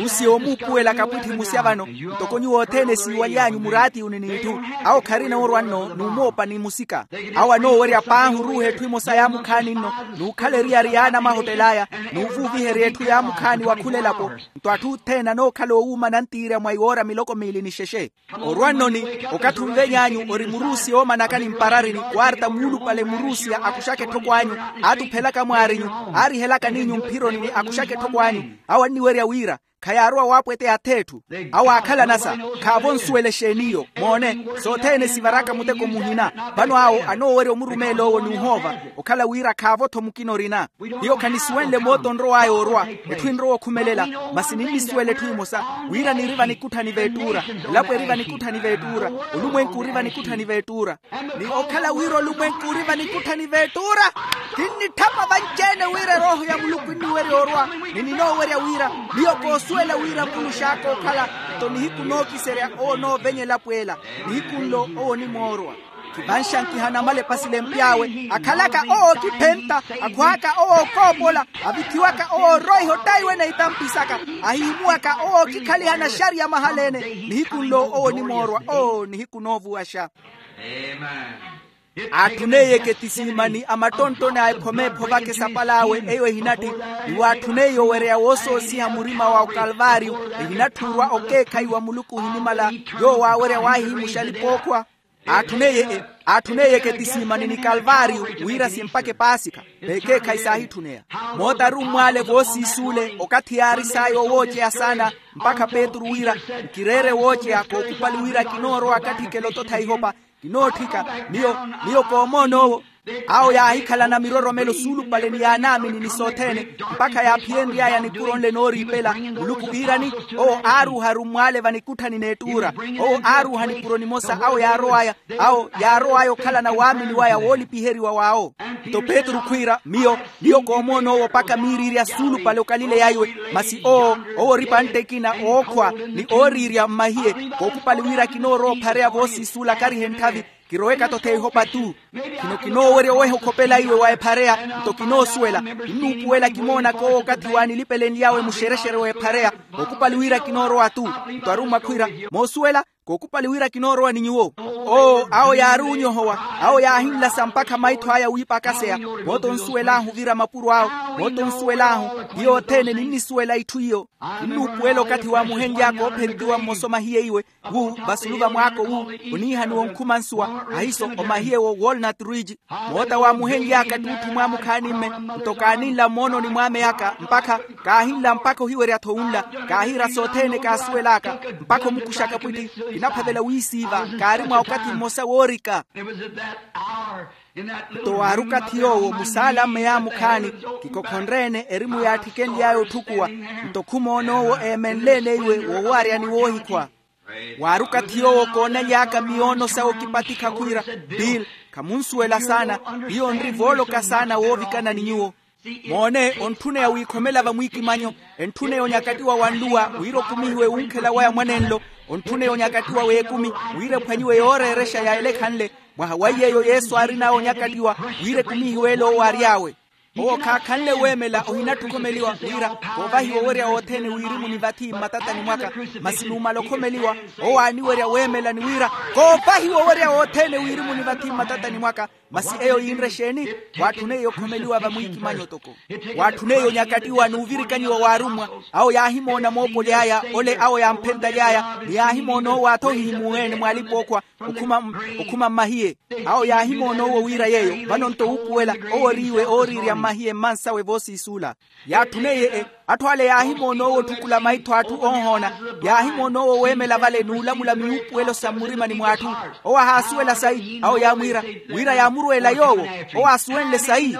Rusi yoomuupuwela kapwitthi musya vano, ntoko nyuwo othene siiwaly'anyu muraati uni n'itthu. Awo kharina orwa nno n'umoopa ni musika. Awo anoowerya paahi oruuha etthu emosa yaamukhaani nno, n'ukhala eriyari y'ana amahottel'aya, n'uvuuviherya etthu yaamukhaani wa khula elapo. Nto atthu othene anookhala oowuuma nantiirya mwa iwoora miloko miili ni xexe. Orwa nno ni okathi onveny'anyu ori murusiya oomanaka ni mpararini, kwarta muulupale murusiya akuxaka etthoko anyu, aatuphelaka mwaarinyu, aarihelaka n'inyu mphironi ni akuxaka etthoko anyu. Awo anniwerya wira khayaarowa waapweteya ath'etthu. Awo aakhalanasa, khaavo nsuwela exeeni iyo. Moone, sothene sivaraka muteko muhina. Vano awo anoowerya omurumeela owo n'uhoova, okhala wira khaavo-tho mukina orina. Hiyo khanisuwenle moota onrow'aya orwa, etthu enrowa okhumelela. Masi ninnisuwela etthu emosa, wira niri vanikutthani veettuura. Elapo eri vanikutthani veettuura. Olumwenku ori vanikutthani veettuura. Ni okhala wira olumwenku ori vanikutthani veettuura, kinnitthapa vanci-ene wira erooho ya muluku enniwerya orwa. Ni ninoowerya wira, miyo koosuwela wira mulux'aka okhala. Nto nihiku nookiserya owo onoovenya elapo ela. Nihiku nlo owo onimoorwa. Khivanxankiha namala epasilempi awe, akhalaka owo okiphenta, akhw'aka owo okoopola, avithiwaka owo oroiha ottaiwa na itampi saka, ahihimuwaka owo okikhaliha naxariya mahala-ene. Nihiku nlo owo onimoorwa. Oo nihiku noovuwaxa. Aatthuneiye eketisiimani a mattonttoni a ekhoma eephovaka esapal'awe eyo ehinatti. Ni waatthuneiye owereya woosoosiha murima wa okalvaariyo, ehinatthi orwa okeekhayi wa muluku ohinimala. Yoowo aawerya waahihimuxa alipa-ookhwa. Aatthuneiye eketisiimani ni kalvaariyo, wira simpaka epaasikha. Veekeekhayi saahitthuneya. Moota ari ommwaale voosiisuule okathi yaari saaya owooceya saana, mpakha petru wira, nkireere wooceya kookupali wira kinoorowa katthikela ototha ihopa. Kinootthika. Miyo, miyo koomoon'owo. Awo yaahikhalana miroromelo suulupale ni yaanaamini ni sothene, mpakha yaaphiyenry'aya nipuro nle nooriipela muluku iirani. Owo aaruuha arummwaale vanikutthani n'ettuura. Owo aaruuha nipuro nimosa awo yaarow'aya, awo yaarow'aya okhalana waamini waya woolipiheriwa w'awo. Nto petru khwiira miyo, miyo koomoon'owo mpakha miiriirya suulupale okalileya iwe. Masi owo, owo ori pantte ekina ookhwa, ni ooriirya mmahiye, kookupali wira kinoorowa ophareya voosiisuula karihe ntthavi. Kiroweka-tho theihopa tu. Khino kinoowerya oweha okhopela iwe wa ephareya. Nto kinoosuwela, kinnuupuwela kimoonaka owo okathi waanilipelenly'awe muxerexere wa ephareya. Kookupali wira kinoorowa tu. Nto arummwa khwiira, moosuwela, kookupali wira kinoorowa ni nyuwo. Oo awo yaari onyohowa, awo yaahinlasa mpakha maitho aya wiipakaseya. Moota onsuwel'ahu ovira mapuro awo. Moota onsuwel'ahu. Ti yothene ninnisuwela itthu iyo. Kinnuupuwela okathi waamuhenly'aka oopheritiwa mmosa omahiye iwe. Wu vasulu va mwaako wu, oniihaniwa onkhumansuwa. Ahiiso omahiye wo walnut ridge. Moota waamuhenly'aka ttuutthu mwaamukhaani-mme. Nto kaaninla mmoononi mwaameyaka mpakha, kaahinla mpakha ohiwerya-tho wunla. Kaahiira sothene kaasuwel'aka, mpakha omukuxaka pwitti. Kinaphavela wiisiiva, kaari mwa okathi mmosa woorika. Nto waari okathi yoowo musaala-mme yaamukhaani, kikokhonre-ene erimu yaattikenly'aya otthukuwa. Nto khumoon'owo eemenle-ene iwe woowaarya ni woohikhwa. Waari okathi yoowo koonaly'aka miyoono sawe okipatikha khwiira, bill, khamunsuwela saana. Hiyo nri vooloka saana woovikana ni nyuwo. Moone, ontthuneya wiikhomela vamwiikimanyo, entthuneya onyakattiwa wa nluwa wira okumihiwe wunkhela waya mwanenlo. Ontthuneya onyakattiwa w'ekumi wira ephwanyiwe yooreerexa ya elekhanle. Mwaha wa iy'eyo yesu aarin'awe onyakattiwa wira ekumihiwe ele owo aary'awe. Owo khaakhanle weemela ohinatthi okhomeliwa wira koovahiwa owerya wothene wirimu ni vathi mmatatani mwaka. Masi numala okhomeliwa owo aaniwerya weemela ni wira koovahiwa owerya wothene wirimu ni vathi mmatatani mwaka. Masi eyo yiinre exeeni? Waatthuneiye okhomeliwa vamwiikimanyo toko. Waatthuneiye onyakattiwa n'uvirikanyiwa w'arummwa. Awo yaahimoona moopoly'aya ole awo yamphenttaly'aya ni yaahimoona owo athohihimuwe-ene mw'alipa-ookhwa okhuma mmahiye. Awo yaahimoona owo wira yeeyo vano-nto wuupuwela owo oriiwe ooriirya mmahiye mmansawe voosiisuula. Yaatthuneiye atthu ale yaahimoona owo otthukula maitho a atthu oohoona. Yaahimoona owo weemela vale n'ulamula miwuupuwelo sa mmurimani mw'atthu. Owo ahaasuwela sayi awo yaamwiira wira yaamurweela yoowo. Owo aasuwenle sayi?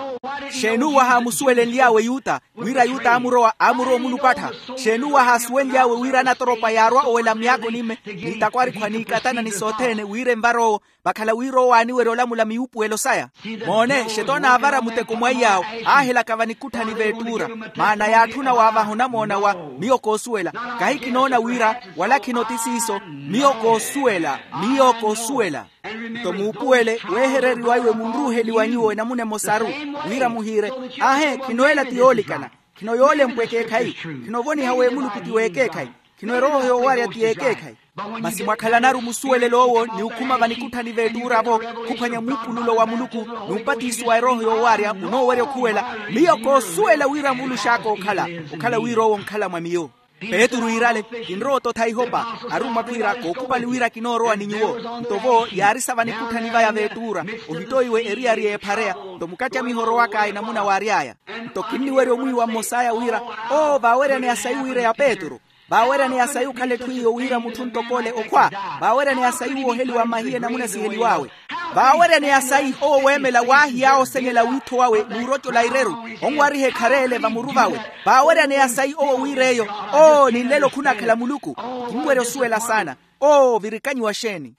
Xeeni uwo ahaamusuwelenly'awe yuta wira yuta aamurowa aamurowa omulupattha? Xeeni uwo ahaasuwenly'awe wira anatoropa yaarwa owela myaakoni-me n'itakwarikhwa n'ikatana ni sothene wira envar'owo vakhala wira owo aaniwerya olamula miwuupuwelo saya? Moone xetoona aavara muteko mwaiy'awo aahelaka vanikutthani v'ettuura. Maana yaatthuna waavaha onamoona wa miyo koosuwela kahi kinoona wira wala khino ti siiso. Miyo koosuwela. Miyo koosuwela. Nto muupuwele weehereriwa iwe munruuheliwa nyuwo enamuna emosaru wira muhiire aahe khino ela ti yoolikana. Khino yoolempwa ekeekhayi. Khinovoniha w'emuluku ti w'ekeekhayi. Khino erooho yoowarya ti y'ekeekhayi. Masi mwakhalanaru musuwelelo owo ni okhuma vanikutthani v'ettuura-vo khuphwanya muupululo wa muluku n'upatiso wa erooho yoowarya onoowerya okhuwela. Miyo koosuwela wira nvulux'aka okhala okhala wira owo onkhala mwa miyo. Petru iirale kinrowa ototha ihopa. Arummwa khwiira kookhupali wira kinoorowa ni nyuwo. Nto vo yaarisa vanikutthani vaya v'ettuura ohittoiwe eriyari y'ephareya. Nto mukattamiho orowaka enamuna waary'aya. Nto kinniwerya omwiiwa mmos'aya wira oo vaaweryaneya sayi wira ya petru. Vaaweryaneya sayi okhala etthu iyo wira mutthu ntok'ole okhwa. Vaaweryaneya sayi wooheliwa mmahiye enamuna siheliw'awe. Vaaweryaneya sayi owo weemela waahiy'awe osenyela wiitho wawe n'urocola ireru onwariha ekhareele vamuru vawe. Vaaweryaneya sayi owo wir'eyo oo ni nlelo khunakhala muluku. Kinwerya osuwela saana. Oo virikanyiwa xeeni?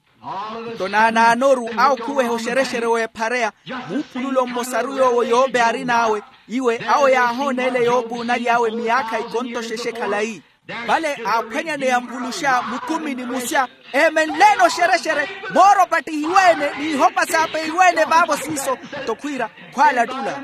Nto naanaanoru awo khuweha oxerexere w'ephareya muupululo mmosaru yoowo yoope aarin'awe. Iwe awo yaahoona ele yoopuunaly'awe miyaakha ikontoxexe khalayi. Vale aaphwanyaneya nvuluxa mukumi ni musya eemenle-ene oxerexere mooro opattihiwe-ene n'ihopa saapeiwe-ene vaavo siiso. Nto khwiira khwaalattula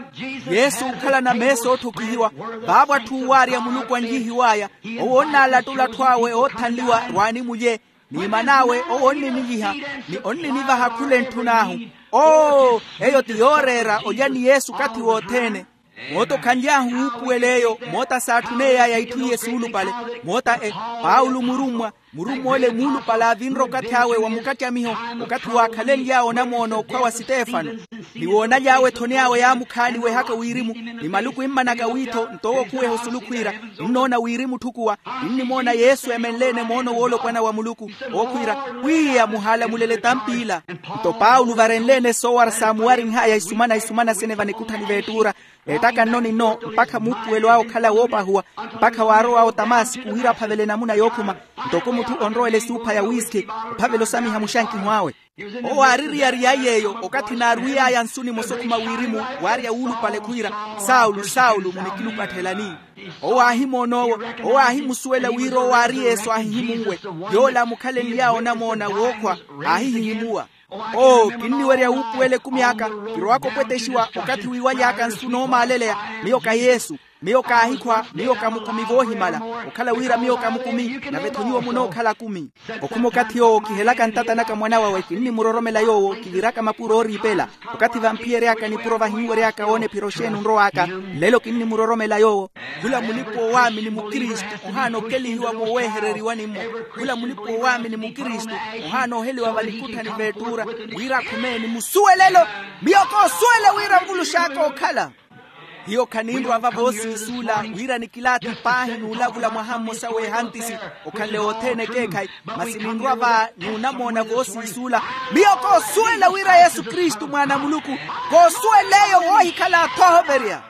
yesu okhalana meesa ootthokihiwa. Vaavo atthu oowaarya muluku anjihiw'aya owo onnaallattula atthu awe oothanliwa rwaani mulye. Ni man'awe owo onninilyiha ni onninivaha khula entthun'ahu. Oo eyo ti yooreera olya ni yesu okathi wothene. Moota okhanly'ahu wuupuwel'eyo moota saatthuney'aya itthu iye suulupale. Moota e paulo murummwa murummwa ole muulupale aavinre okathi awe wa mukattamiho okathi waakhalenly'awe onamoona okhwa wa sitefano. Ni woonaly'awe ethoni awe yaamukhaaliwehaka wirimu ni maluku immanaka wiitho nto owo okhuweha osulu khwiira, kinnoona wirimu otthukuwa. Kinnimoona yesu eemenle-ene moono woolopwana wa muluku. Owo khwiira pwiya muhaalamulele tampila. Nto paulo varenle-ene soowara saamuwarinh'aya isumana isumana sene vanikutthani v'ettuura. Neettaka nno ni nno mpakha muupuwelo awe okhala woopahuwa mpakha waarowa otamasiku wira aphavele enamuna yookhuma. Ntoko mutthu onrowela esuupha ya wiiskhi ophavela osamiha muxankiho awe. Owo aaririyariy'aya eyo okathi naarwiy'aya nsu nimosa okhuma wirimu waarya wuulupale khwiira, saulu saulu munikilupatthelani? Owo aahimoon'owo owo aahimusuwela wira owo aari yesu aahihimunwe. Yoola amukhalenly'awe onamoona wookhwa aahihihimuwa. Oo kinniwerya wuupuwela ekumi aka. Kirowaka opwetexiwa okathi wiiwaly'aka nsu noomaaleleya. Miyo ka yesu. Miyo kaahikhwa miyo ka mukumi voohimala. Okhala wira miyo ka mukumi nave-tho nyuwo munookhala akumi. Okhuma okathi yoowo kihelaka ntata naka mwana wawe kinnimuroromela yoowo kiviraka mapuro ooriipela. Okathi vamphiyery'aka nipuro vahinwery'aka woona ephiro xeeni onrow'aka. Nlelo kinnimuroromela yoowo. Khula mulipa-oowaamini mukristu ohaana okelihiwa moowehereriwani-mo. Khula mulipa-oowaamini mukristu ohaana oheliwa vanikutthani v'ettuura wira akhume ni musuwelelo. Miyo koosuwela wira nvulux'aka okhala. Hiyo khaninrwa va voosiisuula wira nikilaathi paahi n'ulavula mwaha mmosa w'ehantisi okhanle wothene ekeekhayi. Masi ninrwa va n'unamoona voosiisuula. Miyo koosuwela wira yesu kristu mwaana a muluku. Koosuwel'eyo woohikhala athohoverya.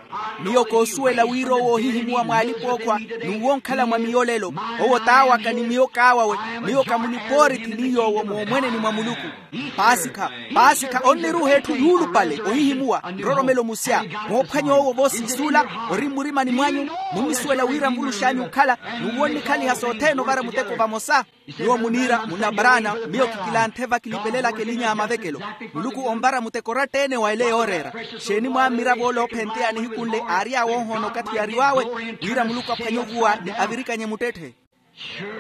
Miyo koosuwela wira owo oohihimuwa mwa alipa-ookhwa, n'uwo onkhala mwa miyo lelo. Owo t'awaka ni miyo k'awawe. Miyo ka munipoorithi ni yoowo moomweneni mwa muluku. Paasikha, paasikha onniruuha etthu yuulupale ohihimuwa nroromelo musya. Moophwanya owo voosiisuula ori mmurimani mwanyu. Munnisuwela wira nvulux'anyu okhala n'uwo onnikhaliha sothene ovara muteko vamosa. Nyuwo muniira munna paraana. Miyo kikilanthe vakilipelelaka elinya ya mavekelo. Muluku onvara muteko oratta-ene wa ele yooreera. Xeeni mwammirav'ola ophenteya nihikunle aary'awe oohoona okathi yaariw'awe, wira muluku aphwanye ovuwa ni avirikanye muttetthe.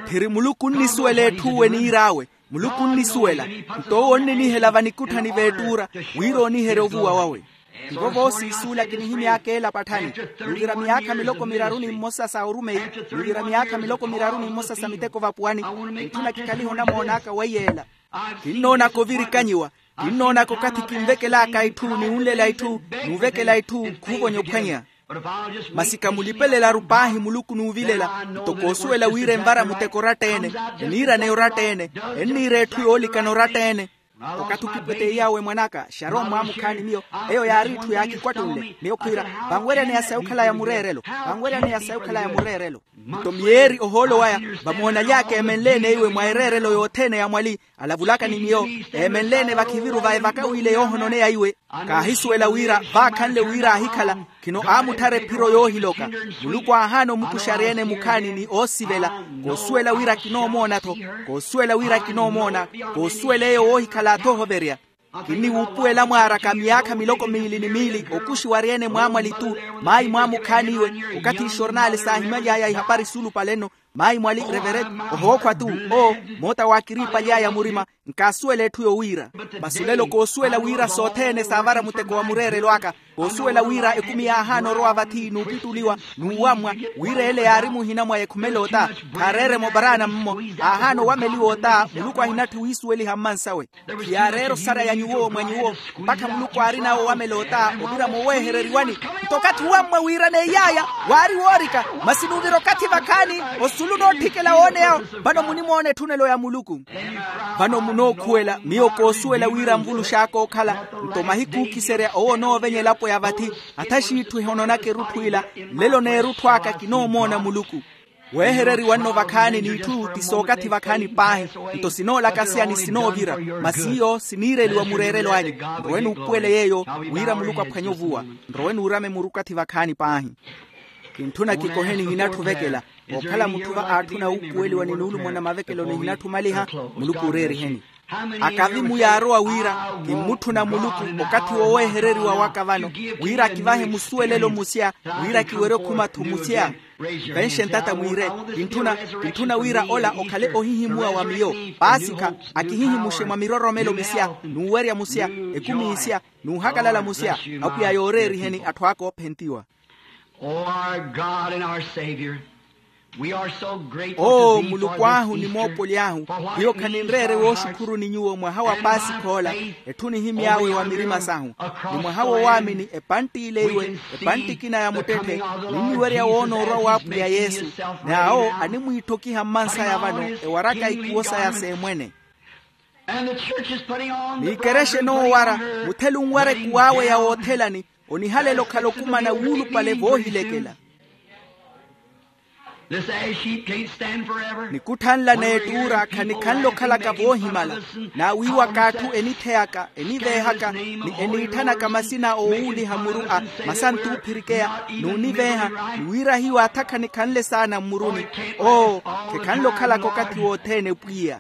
Phiri muluku onnisuwela etthu uwe niir'awe. Muluku onnisuwela. Nto owo onninihela vanikutthani v'ettuura wira ooniherye ovuwa wawe. Tivo voosiisuula kinihimy'aka ela patthani. Nuvira myaakha miloko miraru ni mmosa sa orumeyi. Nuvira myaakha miloko miraru ni mmosa sa miteko vapuwani. Ntthu nakikhaliha onamoon'aka weiye ela. Kinnoonaka ovirikanyiwa. Kinnoonaka okathi kinvekel'aka itthu ni wunlela itthu, n'uvekela itthu khuuvonya ophwanya. Masi kamulipelelaru paahi muluku n'uvilela. Nto koosuwela wira envara muteko oratta-ene. Eniiraneya oratta-ene. Enniira etthu yoolikana oratta-ene. Okathi okipweteiy'awe mwan'aka xarowa mmwaamukhaani miyo. Eyo yaari itthu yaakikwattunle miyo khwiira, vanweryaneya sayi okhalaya mureerelo. Vanweryaneya sayi okhalaya mureerelo. Nto miyeeri ohoolo waya vamoonaly'aka eemenle-ene iwe mwa ereerelo yothene ya mwali. Alavulaka ni miyo eemenle-ene vakhiviru va evaka w'ile yoohononeya iwe. Kaahisuwela wira vaakhanle wira aahikhala. Khino aamutthara ephiro yoohiloka. Muluku aahaana omukuxarya-ene mukhaani ni oosivela. Koosuwela wira kinoomoona-tho. Koosuwela wira kinoomoona. Koosuwela eyo woohikhala-tho ohoverya. Kinniwuupuwela mwaaraka myaakha miloko miili ni miili okuxiwarya-ene mwaamwali-tu. Maayi mwaamukhaani iwe okathi ixornaali saahimaly'aya ihapari suulupale-no. Maayi mwali revereti ohookhwa-tu. Oo moota waakiriipaly'aya murima. Nkaasuwela etthu yowiira. Masi olelo koosuwela wira sothene saavara muteko wa mureerelo aka. Koosuwela wira ekumi yaahaana orowa vathi n'upittuliwa n'uwammwa. Wira ele yaari muhina mwa ekhumela ota. Khaareere-mo paraana mmo. Aahaana owameliwa ota muluku ahinatthi wiisuweliha mmansawe. Khiyaareera osaraya nyuwo mwa nyuwo mpakha muluku aarin'awe owamela ota ovira moweehereriwani. Nto okathi owammwa wiiraneiy'aya waari woorika. Masi n'uvira okathi vakhaani osulu nootthikela wooneya. Vano munimoona etthunelo ya muluku. Vano munookhuwela miyo koosuwela wira nvulux'aka okhala. Nto mahiku ookiserya owo onoovenya elapo ya vathi. Atha xiitthu ehononaka erutthu ila. Nlelo n'erutthu aka kinoomoona muluku. Weehereriwa nno vakhaani n'itthu ti sookathi vakhaani paahi. Nto sinoolakaseya ni sinoovira. Masi iyo siniireliwa mureerelo anyu. Nrowe nuupuwele yeeyo wira muluku aphwanye ovuwa. Nrowe nuurame murukathi vakhaani paahi. Kintthuna kikohe nihinatthu ovekela. Ookhala mutthu va aatthuna wuupuweliwa ni nuulumona mavekelo nihinatthu omaliha. Muluku ooreeriheni. Akavi-mu yaarowa wira kimmutthuna muluku okathi woweehereriwa waka vano wira akivahe musuwelelo musya wira kiwerye okhuma-tho musya. Venxe ntata mwiire. Kintthuna kintthuna wira ola okhale ohihimuwa wa miyo. Paasikha akihihimuxe mwa miroromelo misya n'uwerya musya ekumi isya n'uhakalala musya. Apwiya yooreeriheni atthu aka oophentiwa. Oh our God and our Savior, we are so grateful to oo thee for muluku ahu ni moopoly'ahu hiyo khaninreere wooxukhuruni nyuwo mwaha wa paasikha ola. Etthu nihimy'awe wa mirima sahu ni mwaha wowaamini epantti ile iwe epantti ekina ya muttetthe. Ninniwerya woona orwa w'apwiya yesu n'awo animwiitthokiha mmansaya vano ewaraka ikuwo saya seemwene. N'ikerexe noowara muthelu nwareke w'awe ya woothelani onihalela okhala okumana wuulupale voohilekela. Nikutthanla n'ettuura khanikhanle okhalaka voohimala. Naawiiwaka atthu enitheyaka eniveehaka ni eniitthanaka masina oowuuliha muru a masantuuphirikeya n'univeeha ni wira hiyo atha khanikhanle saana mmuruni. Oo khekhanle okhalaka okathi wothene pwiya.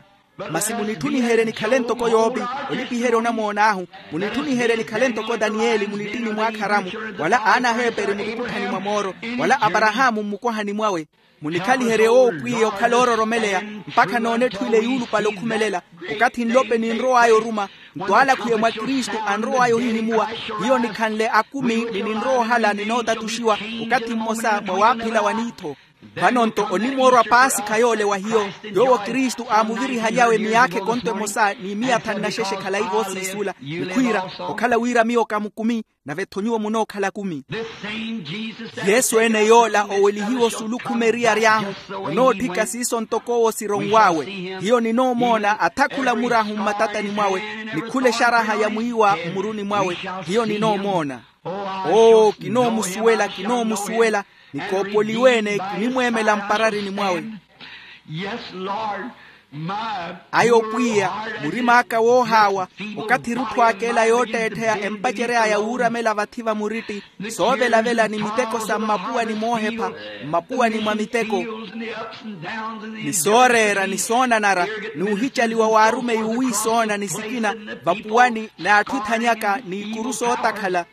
Masi munitthuniherye nikhale ntoko yoopi olipiherya onamoon'ahu. Munitthuniherye nikhale ntoko taniyeli munittini mw'akharamu wala aana aheeperi mutukutthani mwa mooro wala aparahaamu mmukwahani mwawe. Munikhaliherye owo pwiya okhala oororomeleya mpakha noona etthu ile yuulupale okhumelela. Okathi nlope ninrow'aya oruma nto aalakhwiye mwa kristu anrow'aya ohihimuwa. Hiyo nikhanle akumi ni ninrowa ohala ninootatuxiwa okathi mmosa mwa waaphila wa niitho. Vano-nto onimoorwa paasikha yoole wa hiyo yoowo kristu aamuvirihaly'awe miyaakha ekonto emosa ni miya thanu na xexe khalayi voosiisuula. Nikhwiira okhala wira miyo ka mukumi nave-tho nyuwo munookhala kumi. Yesu ene yoola owelihiwa osulu khumi eriyari ahu onootthika siiso ntoko owo sironw'awe. Hiyo ninoomoona athakhula murahu mmatatani mwawe nikhula exaraha ya mwiiwa mmuruni mwawe. Hiyo ninoomoona. Oo kinoomusuwela kinoomusuwela. Nikoopoliweene kinimweemela mpararini mwawe. Ayo pwiya, murima aka woohaawa, okathi erutthu aka ela yootteettheya empacery'aya wuuramela vathi va muritti, soovelavela ni miteko sa mmapuwani moohepha, mmapuwani mwa miteko, ni sooreera ni soonanara, n'uhicaliwa w'arumeyi owiisoona ni sikina, vapuwani n'atthu ethanyaka n'ikuru sootakhala.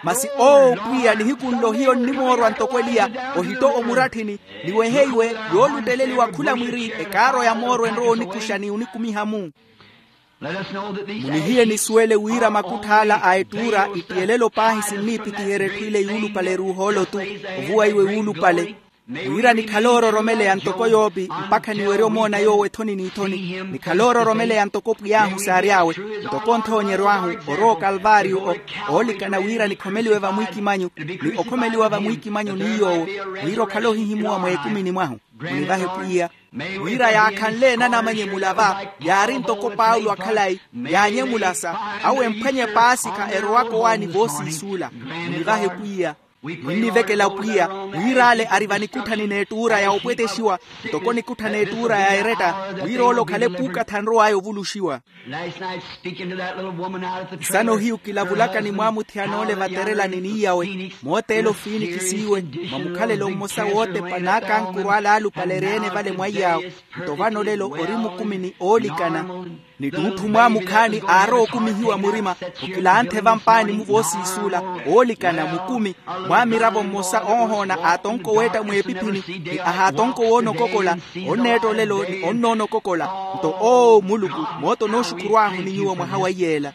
Masi owo pwiya nihiku nlo hiyo nnimoorwa ntoko eliya, ohitto omuratthini, ni weheiwe, yoolutteleliwa khula mwiri ekaaro ya mooro enrowa onikuxa ni onikumiha-mu. Munihiye nisuwele wira makuttha ala a ettuura ittiyelelo paahi sinniipitiherya etthu ile yuulupale eruuhoolo-tu, ovuwa iwe wuulupale, wira nikhale oororomeleya ntoko yoopi mpakha niwerye omoona yoowo ethoni n'ithoni. Nikhale oororomeleya ntoko pwiy'ahu saary'awe, ntoko nthoonyeryo ahu, orowa okalvaariyo, oolikana wira nikhomeliwe vamwiikimanyu, ni okhomeliwa vamwiikimanyu ni yoowo, wira okhale ohihimuwa mweekumini mwahu. Munivahe pwiya, wira yaakhanle enanamanye mulava, yaari ntoko paulo akhalayi, yaanyemulasa, awo emphwanye paasikha erowaka owaani voosiisuula. Munivahe pwiya. Ninnivekela pwiya, wira ale ari vanikutthani n'ettuura ya opwetexiwa, ntoko nikutthani ettuura ya eretta, wira ole okhale puukatha anrow'aya ovuluxiwa. Nsano hiyu kilavulaka ni mwaamuthiyana ole vaterelani n'iyawe, mooteela ofiinikisiiwe, mwa mukhalelo mmosa wootepa n'akankuru ale aalupale eri-ene vale mwa iyaawe. Nto vano olelo ori mukumi ni oolikana, ni ttuutthu mwaamukhaani aarowa okumihiwa murima, okilanthe vampaani-mu voosiisuula, oolikana mukumi, mwaamiravo mmosa oohoona aatonko weetta mweepiphini, ni ahaatonko woonokokola, onneetta olelo ni onnoona okokola. Nto oo muluku, moota onooxukhurw'ahu ni nyuwo mwaha wa iyeela.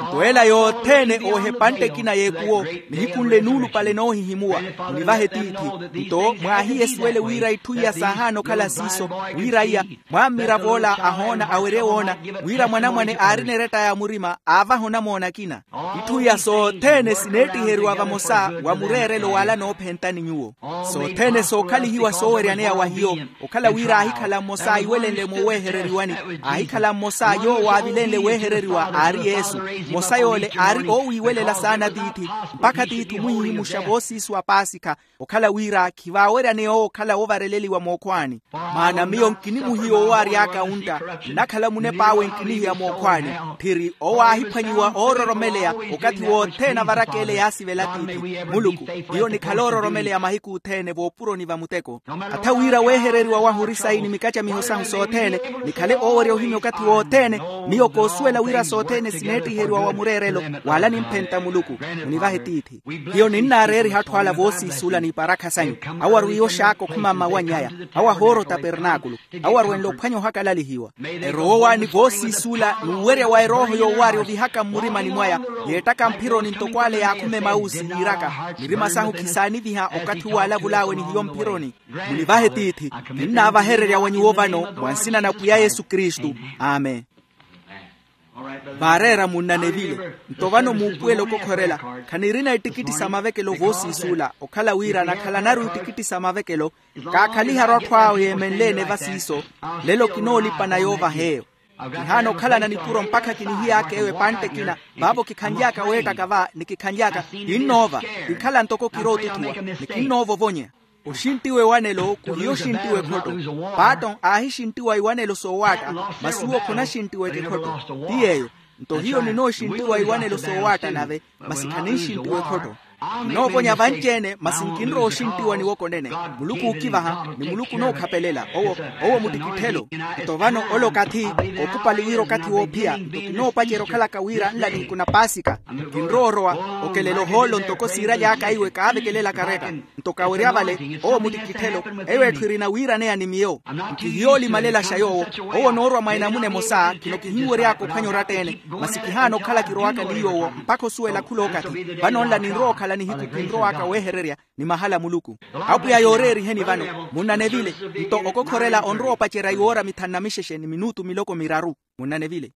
Nto ela yothene oohepantte ekina y'ekuwo, nihiku nle nuulupale noohihimuwa. Munivahe tiithi. Nto mwaahiyesuwele wira itthu iya saahaana okhala siiso, wira iya, mwammirav'ola ahoona awerye woona, wira mwanamwane aarina eretta ya murima aavaha onamoona akina. Itthu iya sothene sineettiheriwa vamosa wa mureerelo wala noophentani nyuwo. Sothene sookhalihiwa sooweryaneya wa hiyo, okhala wira aahikhala mmosa aiwelenle moowehereriwani. Aahikhala mmosa yoowo aavilenle wehereriwa aari yesu. Mmosa yoole aari oowiiwelela saana tiithi, mpakha tiithi omuhihimuxa voosiisu a paasikha. Okhala wira khivaaweryaneya owo okhala woovareleliwa mookhwaani. Maana miyo nkinimuhiya owo aary'aka wuntta, nnakhala munep'awe nkinihiya mookhwaani. Tthiri owo aahiphwanyiwa oororomeleya, okathi wothene avaraka ele yaasivela tiithi. Muluku, hiyo nikhala oororomeleya mahiku othene voopuroni va muteko. Atha wira wehereriwa wahu ori sayi ni mikacamiho sahu sothene, nikhale oowerya ohimya okathi wothene. Miyo koosuwela wira sothene sineettiheriwa wa mureerelo, wala nimphenta muluku. Munivahe tiithi. Hiyo ninnaareeriha atthu ala voosiisuula n'iparakha sanyu. Awo arwiya oxaaka okhuma mmawany'aya. Awo ahoora otapernaakulu. Awo arwenle ophwanya ohakalalihiwa. Erowa owaani voosiisuula n'uwerya wa erooho yoowaarya ovihaka mmurimani mwaya, yeettaka mphironi ntoko ale yaakhuma emausi yiiraka. Mirima sahu khisaaniviha okathi uwo aalavul'awe ni hiyo mphironi. Munivahe tiithi. Kinnaavahererya wa nyuwo vano mwa nsina na pwiya yesu kristu. Amen. Vaareera munna nevile. Nto vano muupuwela okokhorela. Khanirina ittikitti sa mavekelo voosiisuula okhala wira nakhalanaru ittikitti sa mavekelo. Kaakhaliharu atthu awo yeemenle-ene va siiso. Lelo kinoolipana yoovaha eyo. Kihaana okhalana nipuro mpakha kinihiy'aka eyo epantte ekina. Vaavo kikhanly'aka weettaka va ni kikhanly'aka kinnoova. Kinkhala ntoko kirootuthuwa ni kinnoova ovonya. Oxinttiwa ewanelo khuhiya oxinttiwa ekhotto. Paaton aahixinttiwa iwanelo soowaatta. Masi uwo khonaxinttiweke ekhotto. Ti yeeyo. Nto hiyo ninooxinttiwa iwanelo soowaatta nave. Masi khaninxinttiwa ekhotto. Nnoovonya vanci-ene masi nkinrowa oxinttiwa niwoko nene. Muluku ookivaha ni muluku onookhapelela owo. Owo muttikitthelo. Nto vano ole okathi ookupali wira okathi woophiya nto kinoopacerya okhalaka wira nla ninku na paasika. Kinrowa orowa okelela ohoolo ntoko siiraly'aka iwe kaavekelela kareka. Nto kawerya vale owo muttikitthelo. Eyo etthu erina wiiraneya ni miyo. Nkihiyoolimalelaxa yoowo. Owo onoorwa mwa enamuna emosa khino kihinwery'aka ophwanya oratta-ene. Masi kihaana okhala kirowaka ni yoowo mpakha osuwela khul'okathi. Vano nla ninrowa okhala nihiku kinrow'aka wehererya ni mahala a muluku. Apwiya yooreeriheni vano. Munna nevile. Nto okokhorela onrowa opacerya iwoora mithanu na mixexe ni minutu miloko miraru. Munna nevile.